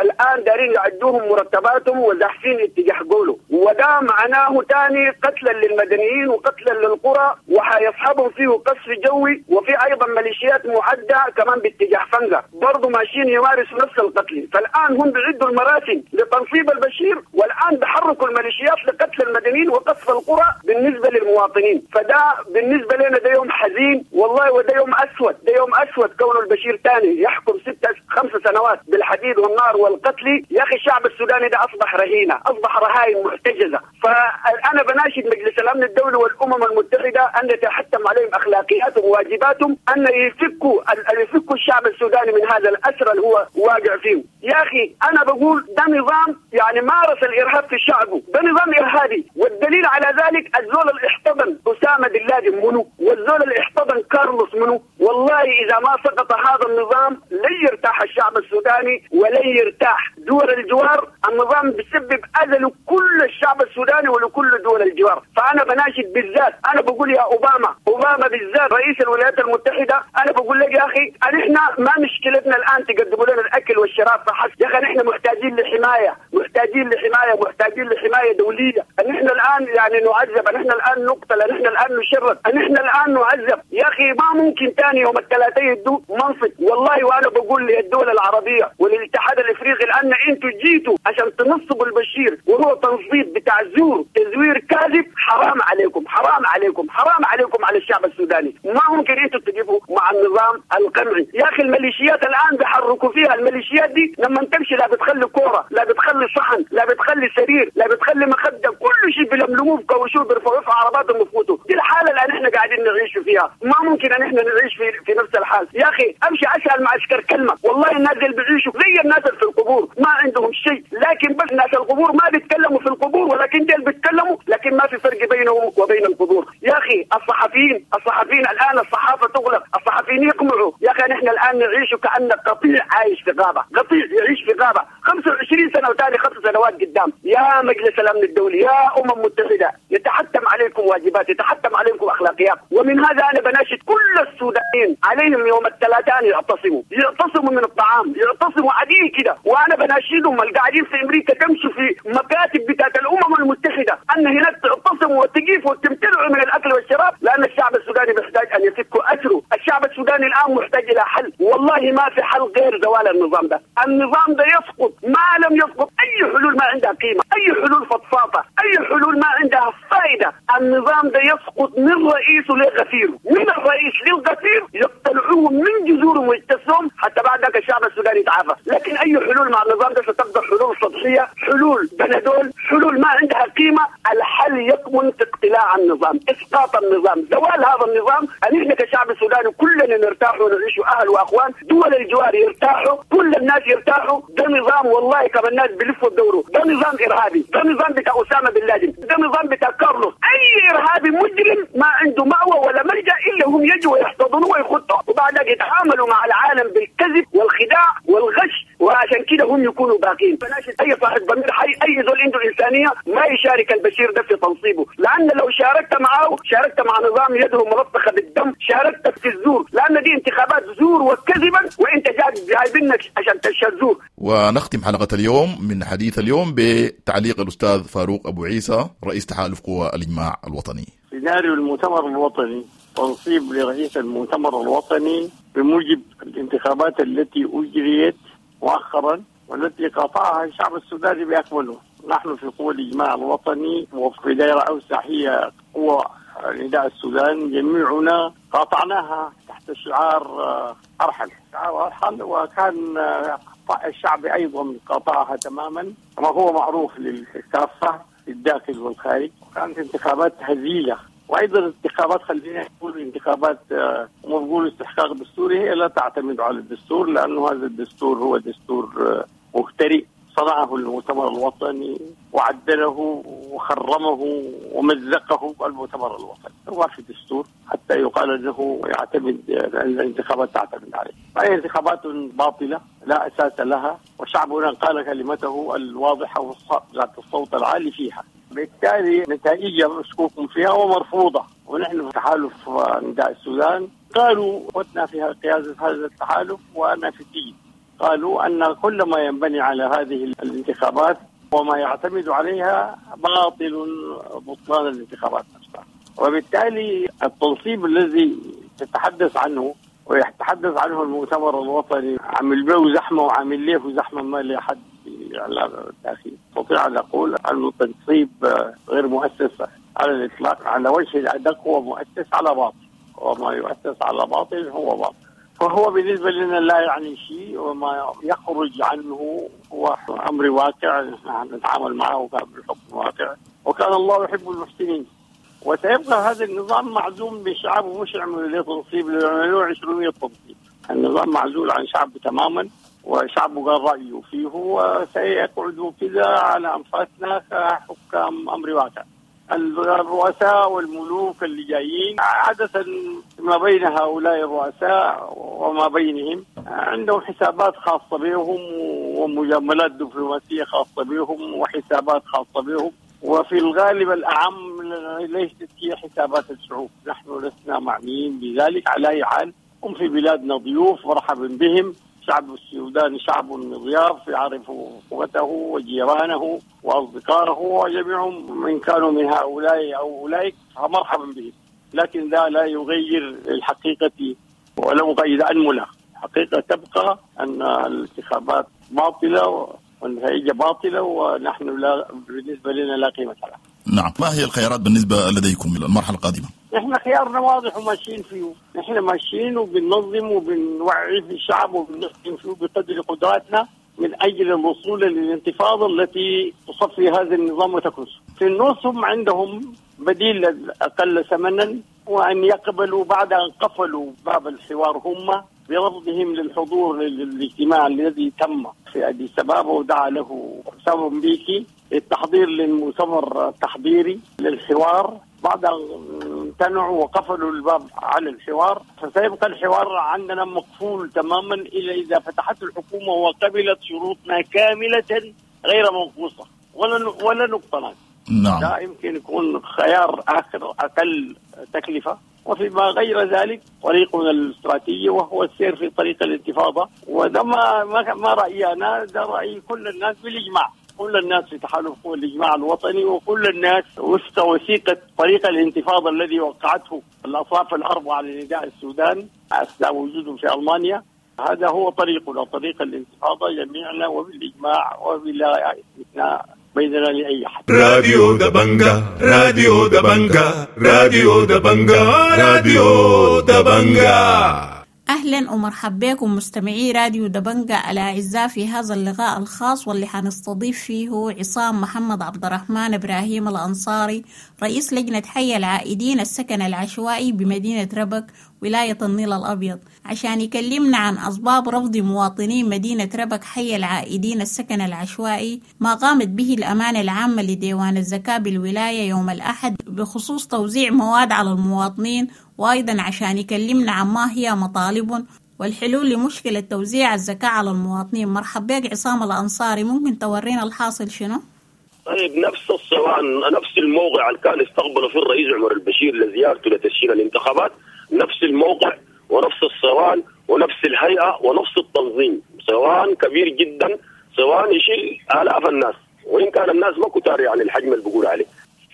الآن دارين يعدوهم مرتباتهم وزاحفين اتجاه قوله، وده معناه تاني قتلا للمدنيين وقتلا للقرى، وحيصحبه اليوم فيه قصف جوي، وفي ايضا ميليشيات معده كمان باتجاه فنجا برضه ماشيين يمارسوا نفس القتل. فالان هم بيعدوا المراسم لتنصيب البشير، والان بحركوا الميليشيات لقتل المدنيين وقصف القرى بالنسبة للمواطنين. فده بالنسبة لنا ده يوم حزين والله، وده يوم اسود، ده يوم اسود كون البشير ثاني يحكم ستة خمس سنوات بالحديد والنار والقتل. يا اخي الشعب السوداني ده اصبح رهينة، اصبح رهائن محتجزه. فانا بناشد مجلس الامن الدولي والامم المتحدة ان يتحتم عليهم اخلاقياتهم وواجباتهم ان يفكوا يفكوا الشعب السوداني من هذا الاسر اللي هو واقع فيه. يا اخي انا بقول ده نظام يعني مارس الارهاب في شعبه، ده نظام ارهابي، والدليل على ذلك الزول اللي احتضن اسامة بن لادن منو، والزول اللي احتضن كارلوس منو. والله اذا ما سقط هذا النظام لن يرتاح الشعب السوداني ولن يرتاح دول الجوار. النظام بيسبب اذى لكل الشعب السوداني ولكل دول الجوار. فانا بناشد بالذات، انا بقول يا اوباما، اوباما بالذات رئيس الولايات المتحدة، انا بقول لك يا اخي نحن ما مشكلتنا الان تقدموا لنا الاكل والشراب فحسب، يا اخي نحن محتاجين لحماية، محتاجين لحماية، محتاجين لحماية دولية. نحن الان يعني نعذب، نحن الان نقتل، نحن الان نشرد، نحن الان نعذب. يا اخي ما ممكن ثاني يوم الثلاثاء يدوا منصب. والله وانا بقول للدول العربية وللاتحاد الافريقي الان انتوا جيتوا عشان تنصبوا البشير وهو تنصيب بتاع زور، تزوير كاذب. حرام عليكم، حرام عليكم، حرام عليكم على الشعب السوداني. ما ممكن انتوا تجيبوا مع النظام القمعي. يا اخي الميليشيات الان بيحركوا فيها، الميليشيات دي لما تمشي لا بتخلي كورة، لا بتخلي صحن، لا بتخلي سرير، لا بتخلي مخده، كل شيء بيلملموه بكوشوه بيرفعوه في عرباتهم ويفوتوا. دي الحالة اللي احنا قاعدين نعيش فيها، ما ممكن ان احنا نعيش في في نفس الحال. يا اخي امشي اسال معسكر كلمة، والله الناس اللي بيعيشوا زي الناس في القبور ما عندهم شيء، لكن بس الناس القبور ما بيتكلموا في القبور، ولكن ديل بيتكلموا، لكن ما في فرق بينهم وبين القبور. يا اخي الصحفيين، الصحفيين الان الصحافة تغلق، الصحفيين يقمعوا. يا اخي نحن الان نعيش كأن قطيع عايش في غابه، قطيع يعيش في غابه خمسة وعشرين سنة وثاني خمس سنوات قدام. يا مجلس الامن الدولي، يا امم متحدة، يتحتم عليكم واجبات، يتحتم عليكم اخلاقيات. ومن هذا انا بناشد كل السودانيين عليهم يوم الثلاثاء يعتصموا، يعتصموا من الطعام، يعتصموا عديل كده. وانا بناشدهم القاعدين في امريكا تمشوا في مكاتب بتاعت الامم المتحدة ان هناك تعتصموا وتقيفوا وتمتنعوا من الاكل والشراب، لان الشعب السوداني محتاج ان يفكوا اسره. الشعب السوداني الان محتاج الى حل، والله ما في حل غير زوال النظام ده. النظام ده يسقط، ما لم يسقط اي حلول ما عندها قيمة، اي حلول فضفاضة، اي حلول ما عندها فائدة. النظام ده يسقط من رئيسه لغفيره، من الرئيس للغفير، يقتلعوه من جذورهم ويجتثوهم حتى بعد ذاك الشعب السوداني يتعافى. لكن اي حلول مع النظام ده ستبقى حلول سطحية، حلول بندول، حلول ما عندها قيمة. الحل يكمن في اقتلاع النظام، اسقاط النظام، زوال هذا النظام. ان احنا كشعب سوداني كلنا نرتاح ونعيش اهل واخوان، دول الجوار يرتاحوا، كل الناس يرتاحوا. ده نظام والله كما الناس بيلفوا بدوره، ده نظام ارهابي، ده نظام بتاع اسامة بن لادن، ده نظام بتاع كارلوس. اي ارهابي مجرم ما عنده مأوى ولا ملجأ الا هم يجوا ويحتضنوه ويخطوا، وبعد يتعاملوا مع العالم بالكذب والخداع والغش، وعشان كده هم يكونوا باقين. فناشد اي صاحب ضمير حي، اي زول عنده انسانيه ما يشارك البشير ده في تنصيبه، لان لو شاركت معه شاركت مع نظام يده ملطخه بالدم، شاركت في الزور، لان دي انتخابات زور وكذبا، وانت جايبينك عشان تشهد زور. ونختم حلقة اليوم من حديث اليوم بتعليق الاستاذ فاروق ابو عيسى رئيس تحالف قوى الاجماع الوطني. سيناريو المؤتمر الوطني، تنصيب لرئيس المؤتمر الوطني بموجب الانتخابات التي اجريت مؤخرا والتي قاطعها الشعب السوداني باكمله. نحن في قوى الاجماع الوطني وفي دائرة اوسع هي قوى نداء السودان جميعنا قاطعناها تحت شعار ارحل، شعار ارحل، وكان الشعب ايضا قاطعها تماما كما هو معروف للكافه في الداخل والخارج. كانت انتخابات هزيلة، وايضا الانتخابات خلينا نقول انتخابات هم بيقولوا استحقاق دستوري، هي لا تعتمد على الدستور، لانه هذا الدستور هو دستور مخترع صنعه المؤتمر الوطني وعدله وخرمه ومزقه المؤتمر الوطني. ما في دستور حتى يقال انه يعتمد الانتخابات تعتمد عليه. فهي انتخابات باطله لا اساس لها، وشعبنا قال كلمته الواضحة ذات الصوت العالي فيها، بالتالي نتائجها مشكوك فيها ومرفوضه. ونحن في تحالف نداء السودان قالوا فتنا في قيادة هذا التحالف وانا في السجن، قالوا أن كل ما ينبني على هذه الانتخابات وما يعتمد عليها باطل، بطلان الانتخابات نفسها. وبالتالي التنصيب الذي تتحدث عنه ويتحدث عنه المؤتمر الوطني عامل به زحمة وعامل له زحمة ما لحد إعلام الداخلي. أستطيع أن أقول أنه تنصيب غير مؤسس على الإطلاق، على وجه الأدق هو مؤسس على باطل، وما يؤسس على باطل هو باطل، فهو بالنسبة لنا لا يعني شيء، وما يخرج عنه هو أمر واقع نحن نتعامل معه بالحكم واقع، وكان الله يحب المحسنين. وسيبقى هذا النظام معزوم بالشعب، ومش يعملوا له تنصيب، يعملوا عشرمية تنصيب. النظام معزول عن شعبه تماما، وشعبه قال رأيه فيه، وسيقعدوا كذا على أنفاسنا كحكام أمر واقع. الرؤساء والملوك اللي جايين عادة ما بين هؤلاء الرؤساء وما بينهم عندهم حسابات خاصة بهم ومجاملات دبلوماسية خاصة بهم وحسابات خاصة بهم، وفي الغالب الأعم ليست هي حسابات الشعوب. نحن لسنا معنيين بذلك. على أي حال هم في بلادنا ضيوف، مرحبا بهم. شعب السودان شعب مضياف يعرف قوته وجيرانه وأصدقائه، وجميعهم من كانوا من هؤلاء أو أولئك فمرحبا بهم، لكن ذا لا يغير الحقيقة ولو قيد أنملة. الحقيقة تبقى أن الانتخابات باطلة والنتائج باطلة، ونحن لا بالنسبة لنا لا قيمة لها. نعم، ما هي الخيارات بالنسبة لديكم المرحلة القادمة؟ نحن خيارنا واضح وماشيين فيه، نحن ماشيين وبننظم وبنوعي في الشعب وبنخدم فيه بقدر قدراتنا من أجل الوصول للانتفاضة التي تصفي هذا النظام وتكنسه. في النص هم عندهم بديل أقل ثمنا، وأن يقبلوا بعد أن قفلوا باب الحوار هم برفضهم للحضور للاجتماع الذي تم في أديس أبابا ودعا له ثابو مبيكي للتحضير للمؤتمر التحضيري للحوار، بعد أن امتنعوا وقفلوا الباب على الحوار، فسيبقى الحوار عندنا مقفول تماما إلا إذا فتحت الحكومة وقبلت شروطنا كاملة غير منقوصة ولا ولا نقطة. نعم، لا يمكن يكون خيار آخر أقل تكلفة. وفيما غير ذلك طريقنا الاستراتيجي وهو السير في طريق الانتفاضة، وده ما ما رأيي أنا، ده رأي كل الناس بالإجماع، كل الناس في تحالف قوى الإجماع الوطني، وكل الناس وفق وثيقة طريق الانتفاضة الذي وقعته الأطراف الأربعة لنداء السودان أثناء وجودهم في ألمانيا. هذا هو طريقنا، طريق الانتفاضة جميعنا وبالإجماع وبلا استثناء بيننا لأي أحد. راديو دبنجا، راديو دبنجا، راديو دبنجا، راديو دبنجا. أهلا ومرحبا بكم مستمعي راديو دبنجا الأعزاء في هذا اللقاء الخاص واللي حنستضيف فيه عصام محمد عبد الرحمن إبراهيم الأنصاري، رئيس لجنة حي العائدين السكن العشوائي بمدينة ربك ولاية النيل الأبيض، عشان يكلمنا عن أسباب رفض مواطنين مدينة ربك حي العائدين السكن العشوائي ما قامت به الأمانة العامة لديوان الزكاة بالولاية يوم الأحد بخصوص توزيع مواد على المواطنين، وأيضا عشان يكلمنا عن ما هي مطالب والحلول لمشكلة توزيع الزكاة على المواطنين. مرحبا بك عصام الأنصاري، ممكن تورينا الحاصل شنو؟ طيب، نفس الصوان، نفس الموقع اللي كان استقبله فيه الرئيس عمر البشير لزيارته لتسجيل الانتخابات، نفس الموقع ونفس الصوان ونفس الهيئة ونفس التنظيم. صوان كبير جدا، صوان يشيل آلاف الناس، وإن كان الناس ما كتار يعني الحجم اللي بقول عليه.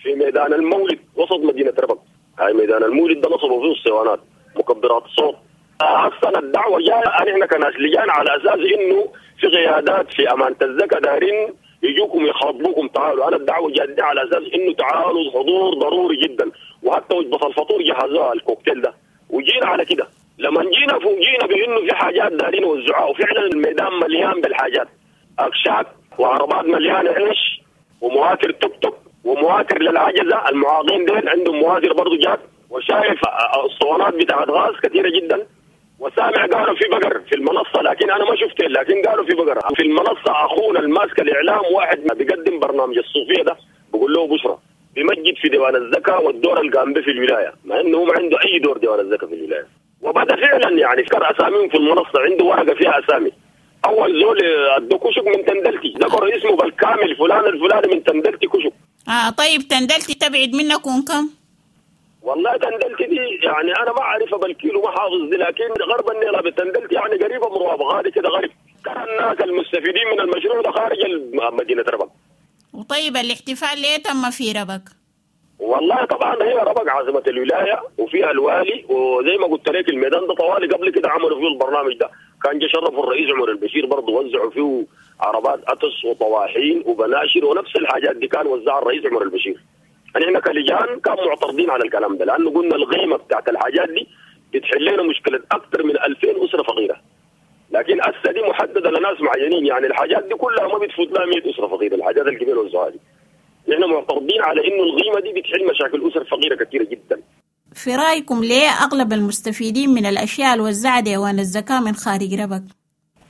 في ميدان المولد وسط مدينة ربك، هاي ميدان المولد ده نصبوا فيه الصوانات، مكبرات الصوت. أصلا الدعوة جاية نحن كناس لجان على أساس إنه في قيادات في أمانة الزكاة دارين يجوكم يخاطبوكم تعالوا. أنا الدعوة جادة على أساس إنه تعالوا، الحضور ضروري جدا، وحتى وجبة الفطور جهزوها الكوكتيل ده، وجينا على كده. لما جينا فوجينا بإنه في حاجات دارين وزعوها، وفعلا الميدان مليان بالحاجات، أكشاك وعربات مليانة عيش ومواتر توك توك ومواتر للعجزة، المعاقين دين عندهم مواتر برضو جات، وشايف الصوانات بتاعت غاز كثيرة جدا، وسامع قالوا في بقر في المنصة، لكن أنا ما شفته، لكن قالوا في بقر في المنصة. أخونا الماسك الإعلام واحد ما بيقدم برنامج الصوفية ده، بقول له بشرى بمجد في ديوان الزكاة والدور اللي قام به في الولاية، مع إنه هو ما عنده أي دور ديوان الزكاة في الولاية. وبدأ فعلا يعني فكر أساميهم في المنصة، عنده ورقة فيها أسامي. أول زول أدو كشك من تندلتي، ذكر اسمه بالكامل، فلان الفلاني من تندلتي كشك. آه طيب، تندلتي تبعد منكم كم؟ والله تندلتي دي يعني أنا ما أعرفها بالكيلو، ما حافظ دي، لكن غرب النيل بتندلتي يعني قريبة من رواب غادي كده غرب. كان الناس المستفيدين من المشروع ده خارج مدينة ربك. وطيب الاحتفال ليه تم في ربك؟ والله طبعا هي ربق عاصمة الولاية وفيها الوالي، وزي ما قلت لك الميدان ده طوالي قبل كده عملوا فيه البرنامج ده، كان جه شرفوا الرئيس عمر البشير برضه وزعوا فيه عربات أتس وطواحين وبناشر ونفس الحاجات دي كان وزعها الرئيس عمر البشير. نحن كلجان كان معترضين على الكلام ده، لأنه قلنا القيمة بتاعت الحاجات دي بتحل لنا مشكلة أكثر من ألفين أسرة فقيرة، لكن هسه دي محددة لناس معينين، يعني الحاجات دي كلها ما بتفوت لها مئة أسرة فقيرة، الحاجات الكبيرة والزوها دي. نحن معترضين على إنه القيمة دي بتحل مشاكل أسر فقيرة كثيرة جدا. في رأيكم ليه أغلب المستفيدين من الأشياء الوزعة ديوان الزكاة من خارج ربك؟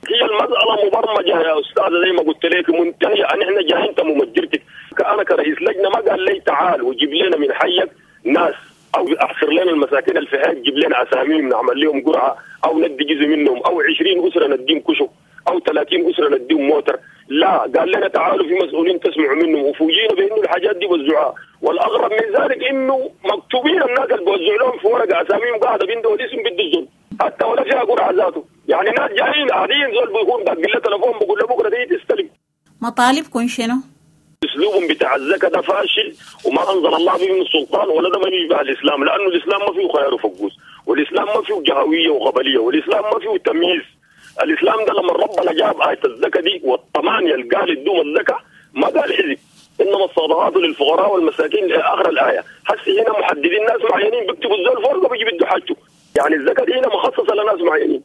هي المسألة مبرمجة يا أستاذة زي ما قلت لك، منتهية. نحن جايين أنت ممجرتك، أنا كرئيس لجنة ما قال لي تعال وجيب لنا من حيك ناس أو أحصر لنا المساكين اللي في حيك، جيب لنا أساميهم نعمل لهم قرعة أو ندي جزء منهم، أو عشرين أسرة نديهم كشك أو ثلاثين أسرة نديهم موتر. لا، قال لنا تعالوا في مسؤولين تسمعوا منهم، وفوجئنا بأنه الحاجات دي وزعوها. والأغرب من ذلك إنه مكتوبين الناس اللي بوزعوا لهم في ورقة أساميهم قاعدة بيندوا الاسم بده الزول، حتى ولا فيها قرعة ذاته. يعني ناس جايين قاعدين زول بيكون داق له تليفون بيقول له بكرة دي تستلم. مطالبكم شنو؟ اسلوبهم بتاع الزكاة ده فاشل وما انزل الله به من السلطان، ولا ده ما يشبه الاسلام، لانه الاسلام ما فيه خيار وفقوس، والاسلام ما فيه جهويه وقبليه، والاسلام ما فيه تمييز. الاسلام ده لما ربنا جاب آية الزكاة دي والثمانية اللي قال ادوم الزكاة ما قال حزب، انما الصدقات للفقراء والمساكين الى اخر الايه. هسه هنا محددين ناس معينين بيكتبوا الزول فرقه بيجي بده حاجته، يعني الزكاة دي هنا مخصصة لناس معينين.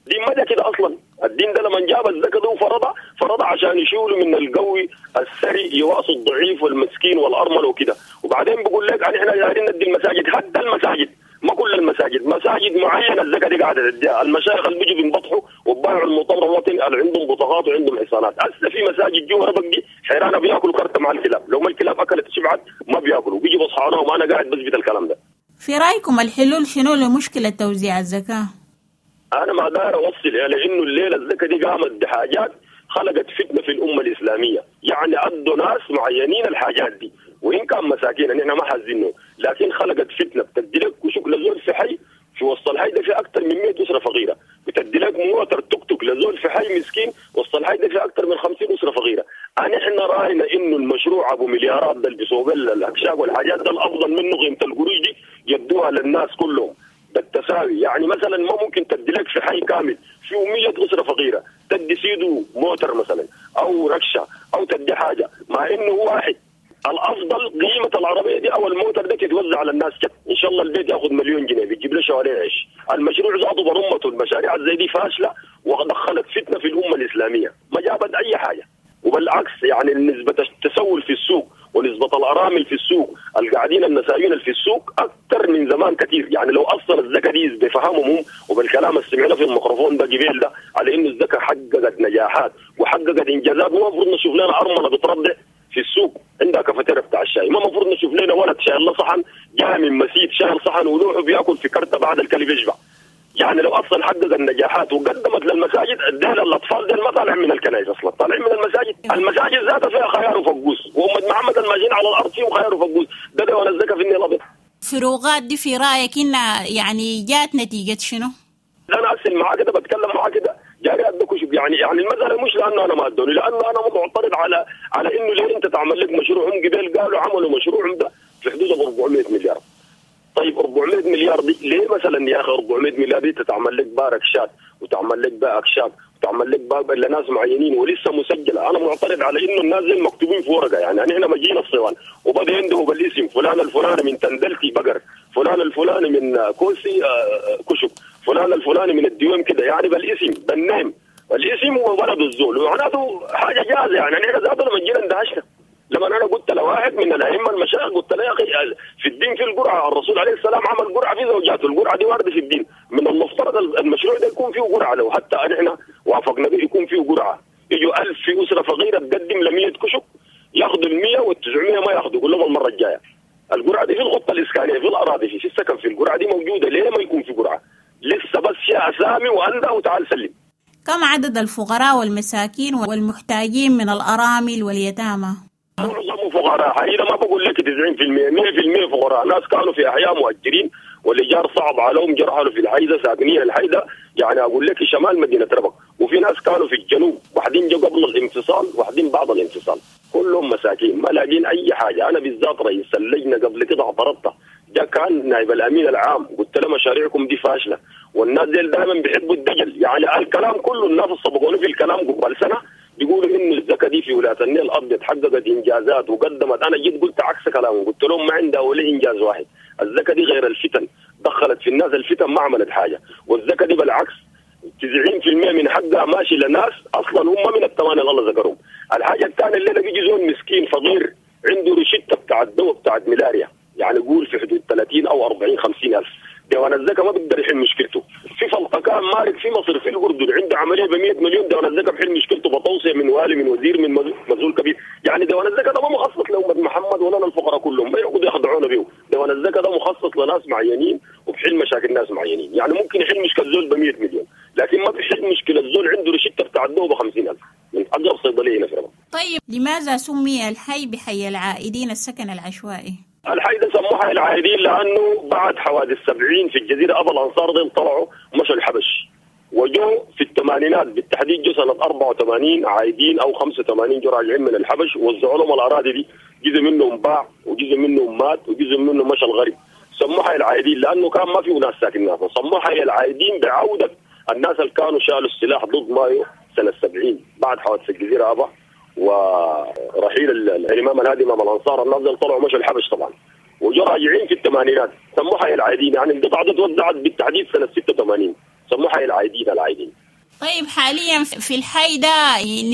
دي ما كده اصلا. الدين ده لما جاب الزكاة دي وفرضها، فرضها عشان يشيلوا من القوي الثري يواصوا الضعيف والمسكين والارمل وكده. وبعدين بقول لك احنا دايرين ندي المساجد، حتى المساجد ما كل المساجد، مساجد معينة الزكاة دي قاعدة تديها. المشايخ اللي بيجوا بينبطحوا وبايعوا المؤتمر الوطني اللي عندهم بطاقات وعندهم حصانات. هسه في مساجد جوا ربك دي حيرانه بياكلوا كرته مع الكلاب، لو ما الكلاب اكلت شبعت ما بياكلوا، بيجوا بصحانهم. وانا قاعد بثبت الكلام ده. في رايكم الحلول شنو لمشكلة توزيع الزكاة؟ أنا ما داير أوصل إلى إنه الليلة الزكاة دي قامت بحاجات خلقت فتنة في الأمة الإسلامية، يعني أدوا ناس معينين الحاجات دي وإن كان مساكين نحن ما حزينهم، لكن خلقت فتنة. بتدي لك كشك لزول في حي في وسط الحي ده في أكثر من مئة أسرة فقيرة، بتدي لك موتر توك توك لزول في حي مسكين وسط الحي ده في أكثر من خمسين أسرة فقيرة. نحن رأينا إنه المشروع أبو مليارات ده اللي بيسوق الأكشاك والحاجات ده الأفضل منه قيمة القروش دي يدوها للناس كلهم بالتساوي. يعني مثلا ما ممكن تدي لك في حي كامل فيه مية أسرة فقيرة تدي سيدو موتر مثلا أو ركشة أو تدي حاجة، مع إنه واحد. الأفضل قيمة العربية دي أو الموتر ده تتوزع على الناس كده. إن شاء الله البيت يأخذ مليون جنيه بيجيب له شوارع عيش. المشروع ذاته برمته، المشاريع زي دي فاشلة ودخلت فتنة في الأمة الإسلامية، ما جابت أي حاجة. وبالعكس يعني نسبة التسول في السوق ونسبة الأرامل في السوق القاعدين النسائين في السوق أكثر من زمان كثير. يعني لو أصلا الزكاة دي بفهمهم هم وبالكلام اللي سمعناه في الميكروفون ده قبيل ده على إنه الزكاة حققت نجاحات وحققت إنجازات، ما المفروض نشوف لنا أرملة بترضع في السوق عندها كافيتيريا بتاع الشاي، ما المفروض نشوف لنا ولد شايل صحن جاي من مسيد شايل صحن ولوحه بياكل في كرته بعد الكلب يشبع. يعني لو اصلا حقق النجاحات وقدمت للمساجد اديها للاطفال دي ما طالع من الكنائس اصلا، طالعين من المساجد. المساجد ذاتها فيها خيار وفقوس، وأمة محمد الماشيين على الارض فيهم خيار وفقوس. ده ده الزكاة في النيل الابيض. فروقات دي في رايك انها يعني جات نتيجة شنو؟ انا اصل معاك كده بتكلم معاك كده جاري ادوك يعني يعني المسالة مش لانه انا ما ادوني، لانه انا معترض على على انه ليه انت تعمل لك مشروع. هم قبل قالوا عملوا مشروعهم ده في حدود أربعمية مليار. طيب أربعمية مليار دي ليه مثلا يا اخي أربعمية مليار دي تتعمل لك باركشات وتعمل لك باكشاك وتعمل لك باب لناس معينين ولسه مسجله؟ انا معترض على انه الناس زي مكتوبين في ورقة. يعني احنا ما جينا الصوان وبدا يندهوا بالاسم فلان الفلاني من تندلتي بقر، فلان الفلاني من كوسي كشك، فلان الفلاني من الديوم كده، يعني بالاسم بالنيم الاسم وولد الزول، ومعناته حاجة جاهزة. يعني احنا ذاتنا لما جينا اندهشنا لما انا قلت لواحد من الائمة المشايخ قلت له يا اخي في الدين في القرعة، الرسول عليه السلام عمل قرعه في زوجاته، القرعة دي وارده في الدين، من المفترض المشروع ده يكون فيه قرعه. لو حتى احنا وافقنا به يكون فيه قرعه، يجوا ألف في اسره فقيرة تقدم ل مية كشك ياخذوا ال مية وال تسعمية ما ياخذوا، يقول لهم المرة الجاية. القرعة دي في الخطة الاسكانيه في الاراضي في, في السكن في القرعة دي موجودة، ليه ما يكون في قرعه؟ لسه بس يا اسامي وانده وتعال سلم. كم عدد الفقراء والمساكين والمحتاجين من الارامل واليتامى؟ معظمه فقراء حقيقة، ما بقول لك تسعين بالمئة مية بالمئة فقراء. ناس كانوا في أحياء مؤجرين والإيجار صعب عليهم، جرحوا في الحيدة ساكنين الحيدة، يعني أقول لك شمال مدينة ربك، وفي ناس كانوا في الجنوب، واحدين جو قبل الانفصال واحدين بعد الانفصال. كلهم مساكين ما لاقين اي حاجة. انا بالذات رئيس اللجنة قبل كده اعترضت، ده كان نائب الامين العام، قلت له مشاريعكم دي فاشلة والناس دي دائما بيحبوا الدجل. يعني الكلام كله الناس سبقوني في الكلام قبل سنة بيقولوا انه الزكاة دي في ولاية النيل الابيض حققت انجازات وقدمت. انا جيت قلت عكس كلامهم، قلت لهم ما عندها ولا انجاز واحد. الزكاة دي غير الفتن، دخلت في الناس الفتن ما عملت حاجة. والزكاة دي بالعكس تسعين بالمئة من حقها ماشي لناس اصلا هم من الثمانية اللي الله ذكرهم. الحاجة الثانية اللي بيجي زول مسكين فقير عنده روشته بتاع الدواء بتاعت ملاريا، يعني قول في حدود ثلاثين او أربعين خمسين الف، ديوان الزكاة ما بيقدر يحل مشكلته. في فلقكان مارك في مصر في الاردن عنده عملية ب مئة مليون، ديوان الزكاة بحل مشكلته بتوصيه من والي من وزير من مسؤول كبير. يعني ديوان الزكاة ده ما مخصص لأمة محمد ولا للفقراء كلهم، ما يقعدوا يخدعونا بيه. ديوان الزكاة ده مخصص لناس معينين وبحل مشاكل ناس معينين. يعني ممكن يحل مشكلة زول ب مئة مليون، لكن ما بيحل مشكلة زول عنده روشته بتاع الدواء ب خمسين ألف من اقرب صيدلية هنا في رمضان. طيب لماذا سمي الحي بحي العائدين السكن العشوائي؟ الحي ده سموه حي العائدين لانه بعد حوادث سبعين في الجزيرة ابا الانصار دي طلعوا مشوا الحبش، وجو في الثمانينات بالتحديد جو سنة أربعة وثمانين عايدين او خمسة وثمانين جو راجعين من الحبش، ووزعوا لهم الاراضي دي، جزء منهم باع وجزء منهم مات وجزء منهم مشى الغرب. سموه حي العائدين لانه كان ما في ناس ساكنين. سموه حي العائدين بعوده الناس اللي كانوا شالوا السلاح ضد مايو سنة سبعين بعد حوادث الجزيرة ابا ورحيل الامام الهادي امام الانصار. الناس دي طلعوا مشوا الحبش طبعا وجو راجعين في الثمانينات، سموها حي العايدين. يعني القطعة دي توزعت بالتحديد سنة ستة وثمانين، سموها حي العايدين العايدين. طيب حاليا في الحي ده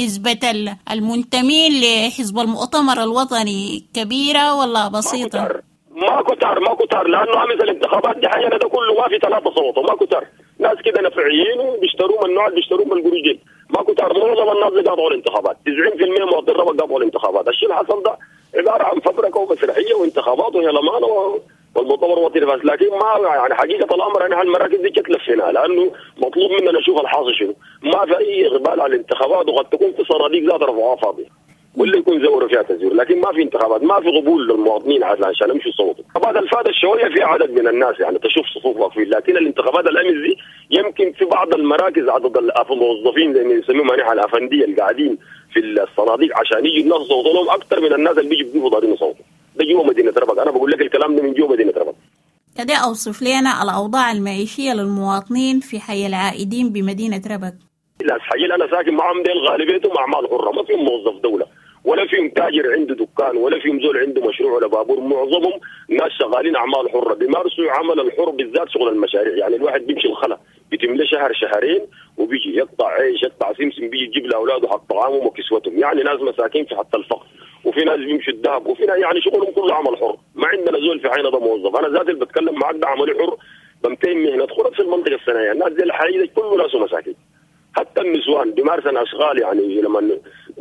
نسبة المنتمين لحزب المؤتمر الوطني كبيرة ولا بسيطة؟ ما كتار ما كتار، لانه امس الانتخابات دي حينا ده كله ما في ثلاثة صوت، ما كتار. ناس كده نفعيين وبيشتروا من النوع اللي بيشتروا من القروش، ما كتار. معظم الناس اللي قاطعوا الانتخابات تسعين بالمئة مواطنين ربك قاطعوا الانتخابات. الشيء اللي حصل ده عبارة عن فبركه ومسرحيه وانتخابات وهلمان والمؤتمر الوطني فاز. لكن ما يعني حقيقة الامر ان المراكز دي تلفيناها لانه مطلوب منا نشوف الحاصل شنو. ما في اي اقبال على الانتخابات، وقد تكون في صناديق ذات رفعوها فاضية واللي يكون زوروا فيها تزوير، لكن ما في انتخابات، ما في قبول للمواطنين عشان يمشوا يصوتوا. الانتخابات الفاتت شوية في عدد من الناس يعني تشوف صفوف واقفين، لكن الانتخابات الامس دي يمكن في بعض المراكز عدد الموظفين زي ما يسموهم يعني الافنديه اللي قاعدين في الصناديق عشان يجوا الناس يصوتوا لهم اكثر من الناس اللي بيجوا بيجوا دارين يصوتوا. ده جوا مدينة ربك، انا بقول لك الكلام ده من جوا مدينة ربك. كده اوصف لنا الاوضاع المعيشية للمواطنين في حي العائدين بمدينة ربك. الناس حي اللي انا ساكن معهم ديل غالبيتهم اعمال حره، ما فيهم موظف دولة ولا فيهم تاجر عنده دكان ولا فيهم زول عنده مشروع ولا بابور. معظمهم ناس شغالين اعمال حره، بيمارسوا عمل الحر بالذات شغل المشاريع. يعني الواحد بيمشي الخلا بيتم له شهر شهرين وبيجي يقطع عيش يقطع سمسم، بيجي يجيب لاولاده حق طعامهم وكسوتهم. يعني ناس مساكين في حتى الفقر، وفي ناس بيمشوا الذهب، وفي ناس يعني شغلهم كله عمل حر. ما عندنا زول في عينه ده موظف. انا ذاتي اللي بتكلم معك ده عملي حر، بمتين مهنة خرف في المنطقة الصناعية. الناس دي الحقيقة كله ناس مساكين، حتى النسوان بيمارسن اشغال يعني لما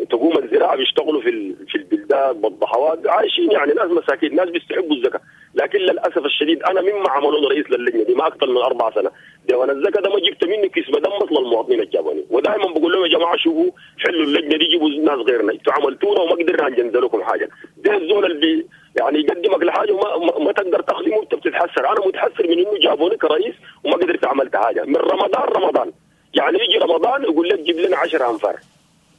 تقوم الزراعة بيشتغلوا في في البلدان بالضحوات، عايشين يعني ناس مساكين، ناس بيستحقوا الزكاة. لكن للاسف الشديد انا مما عملوني رئيس للجنة دي ما اكثر من اربع سنة، ديوان الزكاة ده ما جبت منه كيس بدم مثل المواطنين الجابوني. ودائما بقول لهم يا جماعة شوفوا حلوا اللجنة دي، جيبوا ناس غيرنا، انتوا عملتونا وما قدرنا نجنزل لكم حاجة. ده الزول اللي يعني يقدمك لحاجة وما ما تقدر تخدمه وانت بتتحسر. انا متحسر من انه جابوني كرئيس وما قدرت عملت حاجة. من رمضان رمضان يعني يجي رمضان يقول لك جيب لنا عشرة أنفار،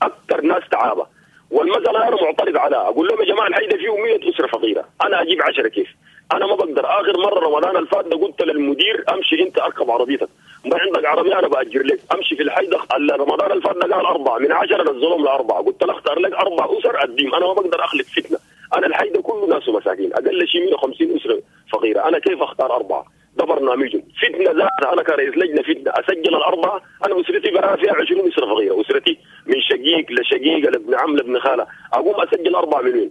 أكثر ناس تعابة. والمسألة أنا معترض عليها، أقول لهم يا جماعة الحي ده فيه مئة أسرة فقيرة، أنا أجيب عشرة كيف؟ أنا ما بقدر. آخر مرة رمضان الفات ده قلت للمدير أمشي أنت أركب عربيتك، ما عندك عربية أنا بأجر لك، أمشي في الحي ده. رمضان الفات ده قال أربعة من عشرة نزلهم لأربعة، قلت له اختار لك أربع أسر أديم، أنا ما بقدر أخلق فتنة. أنا الحي ده كله ناس مساكين، أقل شيء مئة وخمسين أسرة فقيرة، أنا كيف أختار أربعة؟ ده برنامجهم فتنة ذاتها. انا كرئيس لجنة فتنة اسجل الاربعة، انا اسرتي بقى فيها عشرين اسره فقيرة، اسرتي من شقيق لشقيقه لابن عم لابن خاله، اقوم اسجل اربعة من وين؟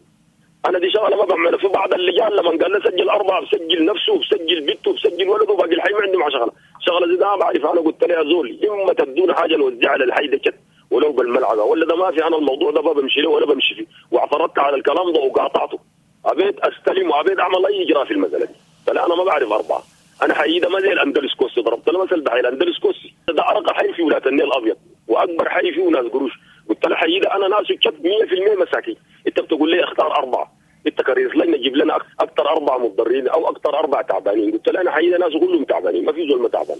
انا دي شغله ما بعملها. في بعض اللجان لما قال لي سجل اربعة بسجل نفسه وبسجل بنته وبسجل ولده وباقي الحي ما عندهم شغله، شغله زي ده ما بعرف. انا قلت له يا زول اما تدونا حاجة نوزعها للحي ده كت ولو بالملعقه ولا ده ما في، انا الموضوع ده ما بمشي له ولا بمشي فيه، واعترضت على الكلام ده وقاطعته، ابيت استلم وابيت اعمل اي اجراء في المسالة دي. فلا انا ما بعرف اربعة. انا حي ده ما زي الاندلس كوسي، ضربت له مثل بحي الاندلس كوسي ده ارقى حي في ولاية النيل الابيض واكبر حي فيه ناس قروش. قلت له حي ده انا ناس شت مية بالمية مساكين، انت بتقول لي اختار اربعة، انت كرئيس لجنة جيب لنا اكثر اربعة متضررين او اكثر اربعة تعبانين. قلت له انا حي ده ناس كلهم تعبانين، ما في زول ما تعبان.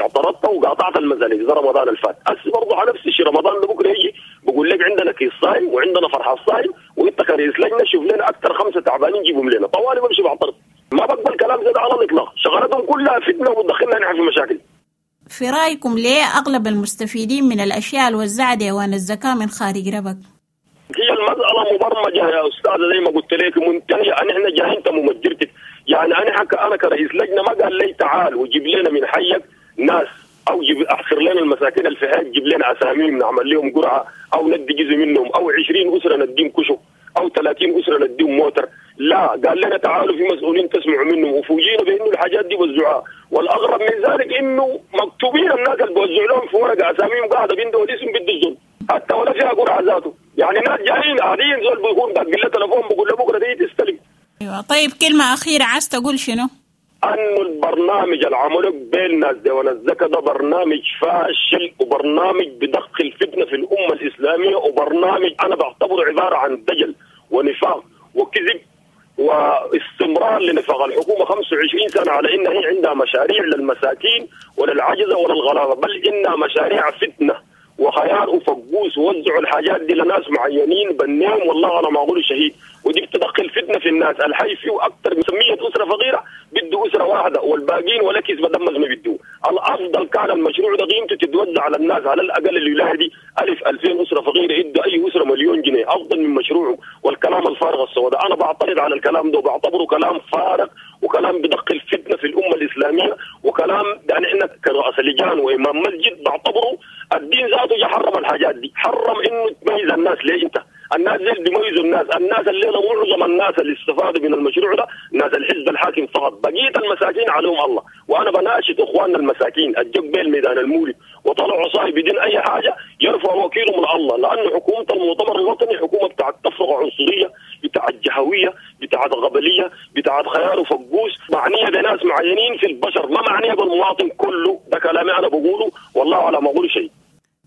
اعترضت وقاطعت المسالة ده رمضان الفات. هسه برضه على نفس الشيء رمضان ده بكره يجي بقول لك عندنا كيس صايم وعندنا فرحه صايم وانت كرئيس لجنة شوف لنا اكثر خمسة تعبانين جيبهم لنا. طوالي بمشي بعترض، ما بقبل كلام زي ده على الاطلاق. شغلتهم كلها فتنة وبتدخلنا نحن في مشاكل. في رايكم ليه اغلب المستفيدين من الاشياء الوزعة ديوان الزكاة من خارج ربك؟ هي المسألة مبرمجة يا أستاذة زي ما قلت لك، منتهية. أنا جاي أنت ممجرتك، يعني أنا حك أنا كرئيس لجنة ما قال لي تعال وجيب لنا من حيك ناس أو جيب أحصر لنا المساكين اللي في حيك، جيب لنا أساميهم نعمل لهم قرعة أو ندي جزء منهم، أو عشرين أسرة نديهم كشك، أو ثلاثين أسرة نديهم موتر. لا، قال لنا تعالوا في مسؤولين تسمعوا منهم، وفوجئنا بأنه الحاجات دي وزعوها. والأغرب من ذلك إنه مكتوبين الناس اللي بوزعوا لهم في ورقة أساميهم قاعدة بيندوا الاسم بده الظلم، حتى ولا فيها قرعة ذاته. يعني ناس جايين قاعدين زول بيكون داق له تليفون بيقول له بكره دي تستلم. ايوه. طيب كلمة اخيرة عايز تقول شنو؟ انه البرنامج اللي عملوه بين ناس ديوان الزكاة ده برنامج فاشل، وبرنامج بدخل فتنة في الامة الاسلامية، وبرنامج انا بعتبره عبارة عن دجل ونفاق وكذب واستمرار لنفاق الحكومة خمسة وعشرين سنة على ان هي عندها مشاريع للمساكين وللعجزه وللغلابه، بل انها مشاريع فتنة وخيار وفقوس، ووزعوا الحاجات دي لناس معينين بنيهم، والله على ما اقول شهيد. ودي بتدخل فتنة في الناس. الحي فيه اكثر من مية اسره فقيرة بده اسره واحدة، والباقيين ولا كيس بدمز ما بده. الافضل كان المشروع ده قيمته تتوزع على الناس، على الاقل الولاية دي ألف ألفين اسره فقيرة يدوا اي اسره مليون جنيه، افضل من مشروعه والكلام الفارغ السوداء. انا بعترض على الكلام ده وبعتبره كلام فارغ وكلام بدخل فتنة في الامة الاسلامية، وكلام يعني احنا كرؤساء لجان وامام مسجد بعتبره الدين ذاته حرم الحاجات دي، حرم انه تميز الناس. ليه انت؟ الناس اللي بيميزوا الناس، الناس الليلة معظم الناس اللي استفادوا من المشروع ده ناس الحزب الحاكم فقط، بقية المساكين عليهم الله. وانا بناشد اخواننا المساكين الجو بين ميدان المولد وطلعوا صاحب بدون اي حاجة يرفعوا وكيلهم من الله، لانه حكومة المؤتمر الوطني حكومة بتاعت تفرقه عنصرية، بتاعت جهويه، بتاعت غبليه، بتاعت خيار وفقوس، معنية بناس معينين في البشر، ما معنية بالمواطن كله. ده كلامي انا بقوله والله على ما اقول شيء.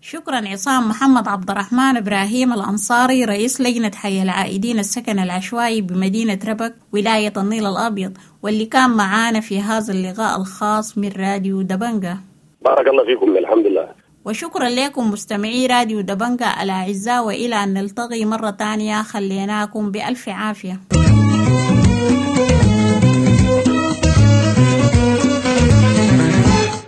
شكرا عصام محمد عبد الرحمن إبراهيم الأنصاري، رئيس لجنة حي العائدين السكن العشوائي بمدينة ربك ولاية النيل الأبيض، واللي كان معانا في هذا اللقاء الخاص من راديو دبنجة. بارك الله فيكم، الحمد لله. وشكرا لكم مستمعي راديو دبنجة الأعزاء، وإلى أن نلتقي مرة تانية خليناكم بألف عافية.